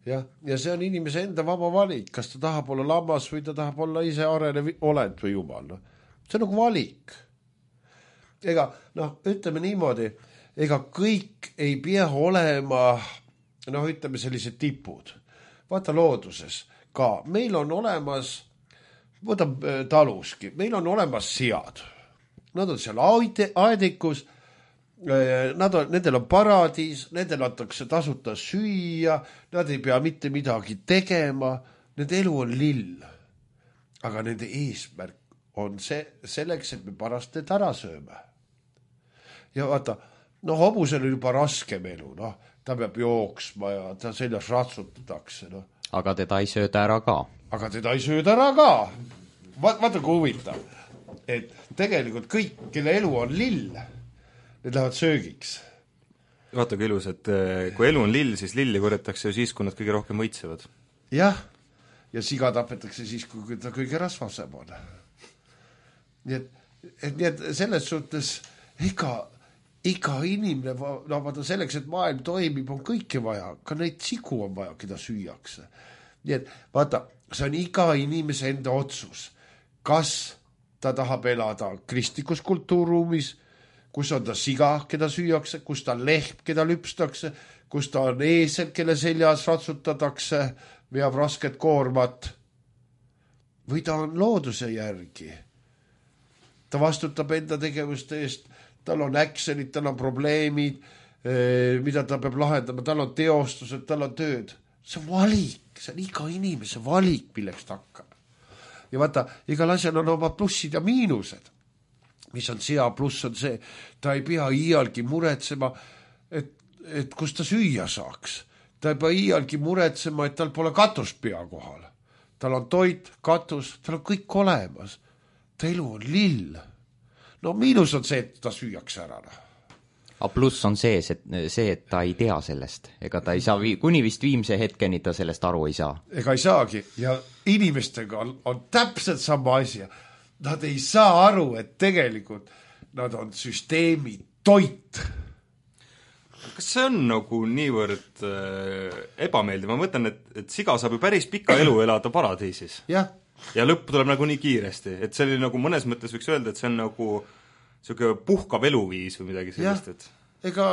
Ja see on inimese enda vaba valik, kas ta tahab olla lammas või ta tahab olla ise arenev olend või Jumal. See on nagu valik. Ega, ütleme niimoodi, ega kõik ei pea olema, ütleme sellised tipud. Vaata looduses ka, meil on olemas võtab taluski, meil on olemas sead. Nad on seal aedikus, nendel on paradiis, nendel antakse tasuta süüa, nad ei pea mitte midagi tegema, nende elu on lill. Aga nende eesmärk on selleks, et me pärast need ära sööme. Ja vaata, hobusel on juba raskem elu, ta peab jooksma ja ta seljas ratsutatakse. Aga teda ei sööda ära ka. Aga teda ei sööda ära ka. Vaata kui huvitav, et tegelikult kõik, kelle elu on lill, need lähevad söögiks. Vaata kui ilus, et kui elu on lill, siis lilli korjatakse ju siis, kui nad kõige rohkem võitsevad. Jah, ja siga tapetakse siis, kui ta kõige rasvasem on. Nii et selles suhtes iga inimene, vaata selleks, et maailm toimib, on kõike vaja, ka neid sigu on vaja, keda süüakse. Nii et vaata, see on iga inimese enda otsus, kas ta tahab elada kristlikus kultuurruumis, kus on ta siga, keda süüakse, kus ta on lehm, keda lüpstakse, kus ta on eesel, kelle seljas ratsutatakse, veab rasket koormat, või ta on looduse järgi. Ta vastutab enda tegevuste eest, tal on äkselid, tal on probleemid, mida ta peab lahendama, tal on teostused, tal on tööd. See on valik, see on iga inimese valik, milleks ta hakkab. Ja vaata, igal asjal on oma plussid ja miinused. Mis on sea pluss on see, ta ei pea iialgi muretsema, et kus ta süüa saaks. Ta ei pea iialgi muretsema, et tal pole katust pea kohal. Tal on toit, katus, tal on kõik olemas. Ta elu on lill. Miinus on see, et ta süüakse ära. Aga pluss on see, et ta ei tea sellest. Ega ta ei saa, kuni vist viimse hetkeni ta sellest aru ei saa. Ega ei saagi. Ja inimestega on täpselt sama asja. Nad ei saa aru, et tegelikult nad on süsteemi toit. Kas see on nagu niivõrd ebameeldiv? Ma mõtlen, et siga saab ju päris pika elu elada paradiisis. Jah. Ja lõpp tuleb nagu nii kiiresti. Et see oli nagu mõnes mõttes võiks öelda, et see on nagu selline puhkav eluviis või midagi sellist. Ega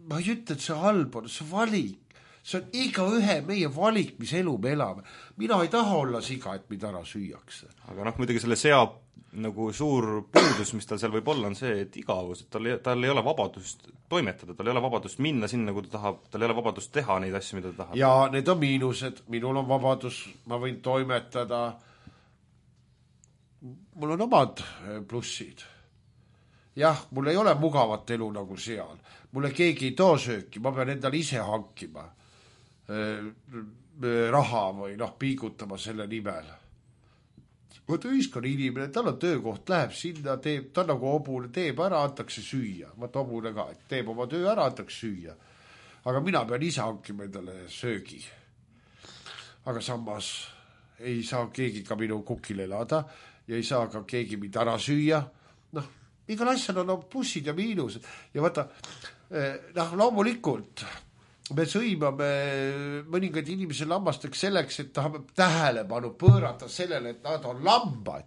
ma ei ütle, et see halb on, see valik. see on igaühe meie valik, mis elu me elame. Mina ei taha olla siga, et mind ära süüakse. aga muidugi selle sea nagu suur puudus, mis tal seal võib olla, on see, et igavus, et tal ei ole vabadust toimetada, tal ei ole vabadust minna sinna, kui ta tahab, tal ei ole vabadust teha neid asju, mida ta tahab. Ja need on miinused, minul on vabadus, ma võin toimetada, mul on omad plussid. Jah, mul ei ole mugavat elu nagu seal, mulle keegi ei too sööki, ma pean endale ise hankima raha või piigutama selle nimel. Vaata ühiskonna inimene, tal on töökoht, läheb sinna, teeb, ta nagu hobune, teeb ära, antakse süüa. Vaata hobune ka, et teeb oma töö ära, antakse süüa. Aga mina pean ise hankima endale söögi. Aga samas ei saa keegi ka minu kukil elada ja ei saa ka keegi mind ära süüa. Igal asjal on plussid ja miinused. Ja vaata, loomulikult me sõimame mõningaid inimesi lammasteks selleks, et tahame tähelepanu pöörata sellele, et nad on lambad.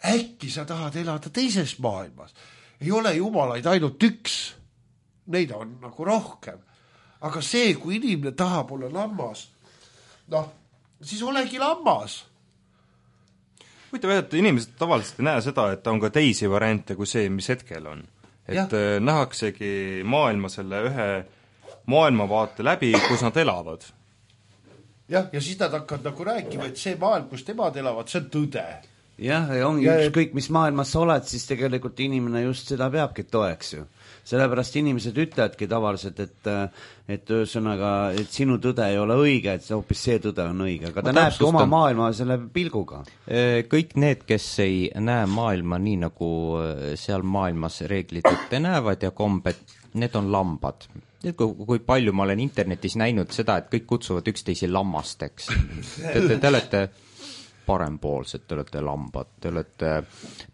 Äkki sa tahad elada teises maailmas. Ei ole jumalaid ainult üks. Neid on nagu rohkem. Aga see, kui inimene tahab olla lammas, siis olegi lammas. Võite öelda, et inimesed tavaliselt ei näe seda, et on ka teisi variante kui see, mis hetkel on. Et nähaksegi maailma selle ühe maailmavaate läbi, kus nad elavad. Ja siis nad hakkavad nagu rääkima, et see maailm, kus temad elavad, see on tõde. Jah, ongi ükskõik, mis maailmas sa oled, siis tegelikult inimene just seda peabki toeks ju. Sellepärast inimesed ütlevadki tavaliselt, et ühesõnaga, et sinu tõde ei ole õige, et hoopis see tõde on õige, aga ta näebki oma maailma selle pilguga. Kõik need, kes ei näe maailma nii, nagu seal maailmas reeglid ette näevad ja kombed, need on lambad. Kui palju ma olen internetis näinud seda, et kõik kutsuvad üksteisi lammasteks. Te olete parempoolsed, te olete lambad, te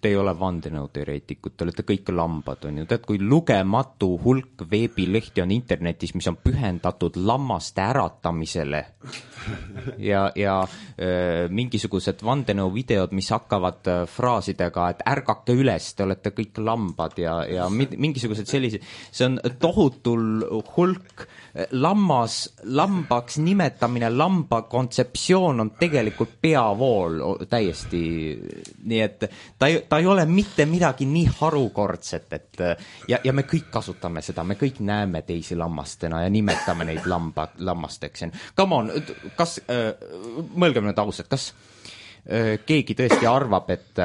ei ole vandenõuteoreetikud, te olete kõik lambad, on ju. Tead, kui lugematu hulk veebilehti on internetis, mis on pühendatud lammaste äratamisele ja mingisugused vandenõuvideod, mis hakkavad fraasidega, et ärgake üles, te olete kõik lambad ja mingisugused sellised, see on tohutul hulk lambaks nimetamine, lamba kontseptsioon on tegelikult peavool täiesti, nii et ta ei ole mitte midagi nii harukordset, et ja me kõik kasutame seda, me kõik näeme teisi lammastena ja nimetame neid lammasteks. Come on, kas, mõelgem nüüd ausalt, kas keegi tõesti arvab, et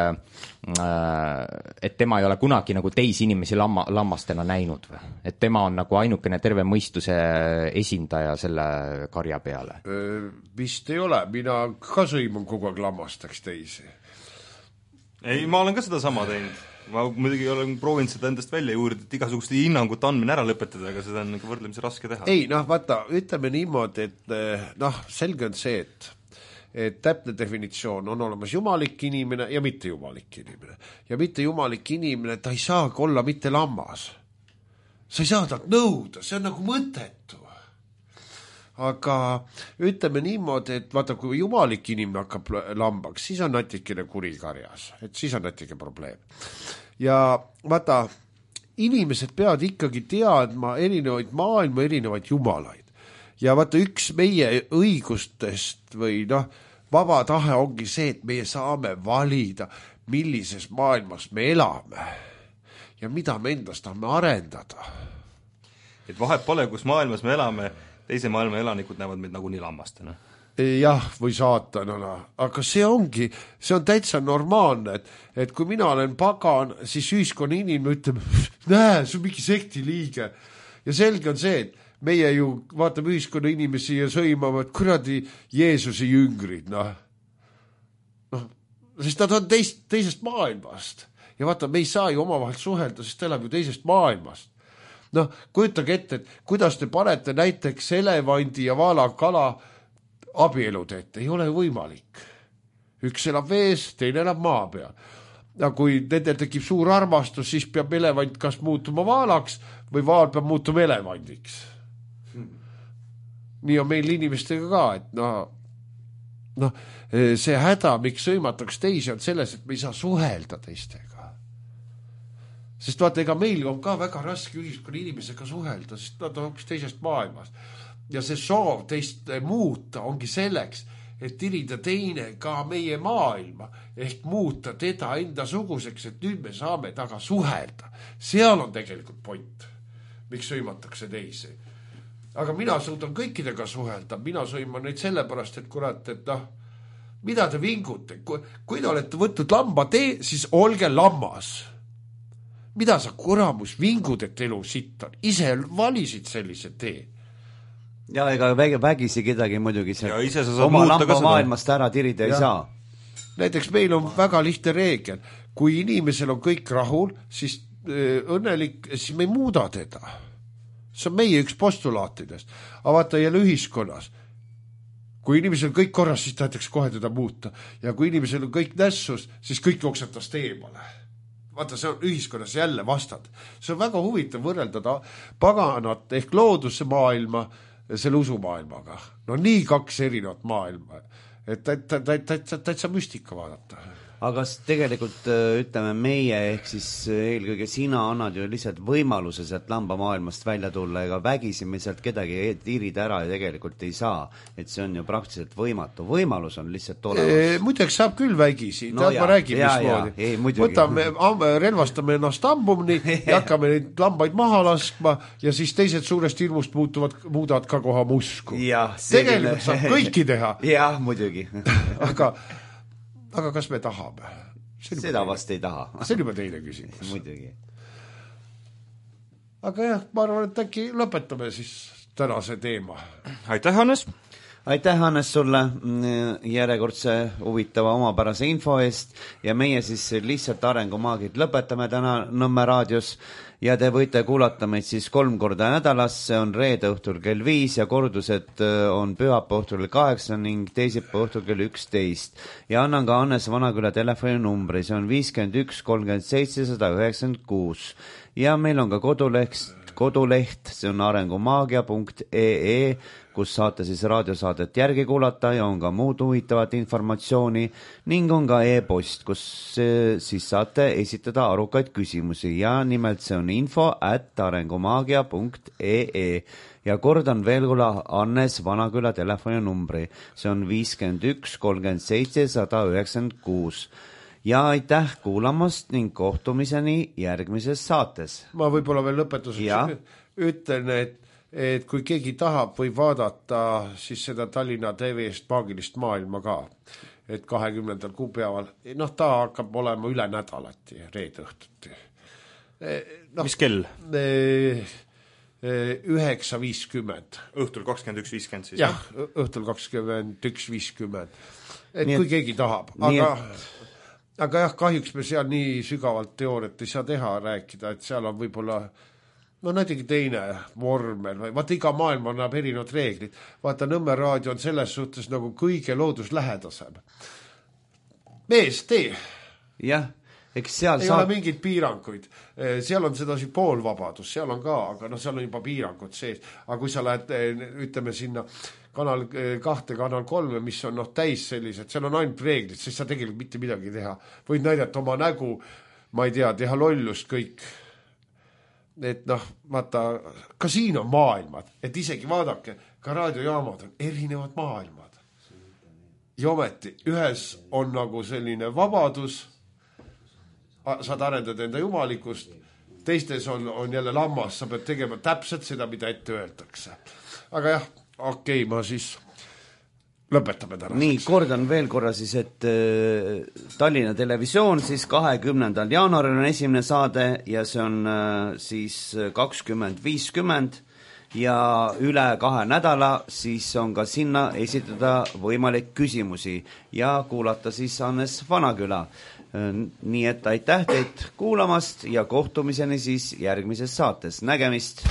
tema ei ole kunagi nagu teisi inimesi lammastena näinud või? Et tema on nagu ainukene terve mõistuse esindaja selle karja peale? Vist ei ole, mina ka sõiman kogu aeg lammastaks teisi. Ei, ma olen ka seda sama teinud. Ma muidugi olen proovinud seda endast välja juurida, et igasuguste hinnangut andmine ära lõpetada, aga seda on võrdlemisi raske teha. Ei, vaata, ütleme niimoodi, et selge on see, et täpne definitsioon on olemas jumalik inimene ja mitte jumalik inimene. Ja mitte jumalik inimene, ta ei saagi olla mitte lammas. Sa ei saa talt nõuda, see on nagu mõttetu. Aga ütleme niimoodi, et vaata, kui jumalik inimene hakkab lambaks, siis on natikene kurikarjas, et siis on natuke probleem. Ja vaata, inimesed peavad ikkagi teadma erinevaid maailma, erinevaid jumalaid. Ja vaata, üks meie õigustest või vaba tahe ongi see, et meie saame valida, millises maailmas me elame ja mida me endast tahame arendada. Et vahet pole, kus maailmas me elame, teise maailma elanikud näevad meid nagu nii lammastena. Jah, või saatanana, aga see on täitsa normaalne, et kui mina olen pagan, siis ühiskonna inimene ütleb, näe, see on mingi sekti liige. Ja selge on see, et meie ju vaatame ühiskonna inimesi ja sõimame, et kuradi Jeesuse jüngrid, sest nad on teisest maailmast. Ja vaata, me ei saa ju omavahel suhelda, sest ta elab ju teisest maailmast. Kujutage ette, et kuidas te panete näiteks elevandi ja vaalakala abielud ette, ei ole võimalik. Üks elab vees, teine elab maa peal. Ja kui nendel tekib suur armastus, siis peab elevant kas muutuma vaalaks või vaal peab muutuma elevandiks. Nii on meil inimestega ka, et see häda, miks sõimataks teisi, on selles, et me ei saa suhelda teistega. Sest vaata, ega meil on ka väga raske ühiskonna inimesega suhelda, sest nad on hoopis teisest maailmast. ja see soov teist muuta ongi selleks, et tirida teine ka meie maailma ehk muuta teda enda suguseks, et nüüd me saame taga suhelda. Seal on tegelikult point, miks sõimatakse teisi. Aga mina suudan kõikidega suhelda, mina sõiman neid sellepärast, et kurat, et mida te vingute? Kui te olete võtnud lamba tee, siis olge lammas. Mida sa kuramus vingud, et elu sitt on? Ise valisid sellise tee. Ja ega vägisi kedagi muidugi Ja ise sa saad oma muuta lamba ka seda. maailmast ära tirida ei saa. Näiteks meil on väga lihtne reegel. Kui inimesel on kõik rahul, siis õnnelik, siis me ei muuda teda. See on meie üks postulaatidest. Aga vaata jälle ühiskonnas. Kui inimesel on kõik korras, siis tahetakse kohe teda muuta. Ja kui inimesel on kõik nässus, siis kõik jooksetast eemale. Vaata, see on ühiskonnas jälle vastad. See on väga huvitav võrreldada paganat ehk looduse maailma selle usumaailmaga. No nii kaks erinevat maailma. Et täitsa müstika vaadata. Aga tegelikult ütleme meie ehk siis eelkõige sina annad ju lihtsalt võimaluse sealt lamba maailmast välja tulla, ega vägisi me sealt kedagi tirida ära ja tegelikult ei saa. Et see on ju praktiliselt võimatu. Võimalus on lihtsalt olemas. Muideks saab küll vägisi. No ma räägin, mismoodi. Võtame, relvastame ennast ambumni ja hakkame neid lambaid maha laskma ja siis teised suurest hirmust muudavad ka koha musku. Tegelikult saab kõiki teha. Jah, muidugi. Aga kas me tahame? Seda vast ei taha. See on juba teine küsimus. Muidugi. Aga jah, ma arvan, et äkki lõpetame siis tänase teema. Aitäh, Hannes! Aitäh, Hannes, sulle järjekordse huvitava omapärase info eest ja meie siis lihtsalt arengumaagid lõpetame täna Nõmme raadios ja te võite kuulata meid siis 3 korda nädalas, see on reede õhtul kell 5 ja kordused on pühapa õhtul 8 ning teisipäeva õhtul kell 11. Ja annan ka Hannes Vanaküla telefoninumbri, see on 51 37 196 ja meil on ka koduleht, see on arengumaagia.ee, kus saate siis raadiosaadet järgi kuulata ja on ka muud huvitavat informatsiooni ning on ka e-post, kus siis saate esitada arukaid küsimusi ja nimelt see on info@arengumaagia.ee ja kordan veel Hannes Vanaküla telefoninumbri, see on 51 37 196 ja aitäh kuulamast ning kohtumiseni järgmises saates. Ma võib-olla veel lõpetuseks ütlen, et kui keegi tahab, võib vaadata siis seda Tallinna TV-st maagilist maailma ka, et 20. kuupäeval, ta hakkab olema üle nädalati, reede õhtuti. Mis kell? 9.50. Õhtul 21.50 siis? Jah, õhtul 21.50. Et kui keegi tahab. Aga jah, kahjuks me seal nii sügavalt teooriat ei saa teha rääkida, et seal on võib-olla näitegi teine vormel või vaata iga maailm annab erinevad reeglid. Vaata Nõmme raadio on selles suhtes nagu kõige looduslähedasem. Mees, tee. Jah, eks seal ei ole mingid piiranguid. Seal on sedasi poolvabadus, seal on ka, aga seal on juba piirangud sees. Aga kui sa lähed, ütleme sinna kanal 2, kanal 3, mis on täis sellised, seal on ainult reeglid, siis sa tegelikult mitte midagi teha. Võid näidata oma nägu, ma ei tea, teha lollust kõik. Et vaata, ka siin on maailmad, et isegi vaadake, ka raadiojaamad on erinevad maailmad. Ja ometi, ühes on nagu selline vabadus, saad arendada enda jumalikust, teistes on jälle lammas, sa pead tegema täpselt seda, mida ette öeldakse. Aga jah, okei, ma siis lõpetame täna. Nii, kordan veel korra siis, et Tallinna Televisioon siis 20. jaanuaril on esimene saade ja see on siis 20.50 ja üle 2 nädala siis on ka sinna esitada võimalik küsimusi ja kuulata siis Hannes Vanaküla. Nii et aitäh teid kuulamast ja kohtumiseni siis järgmises saates. Nägemist!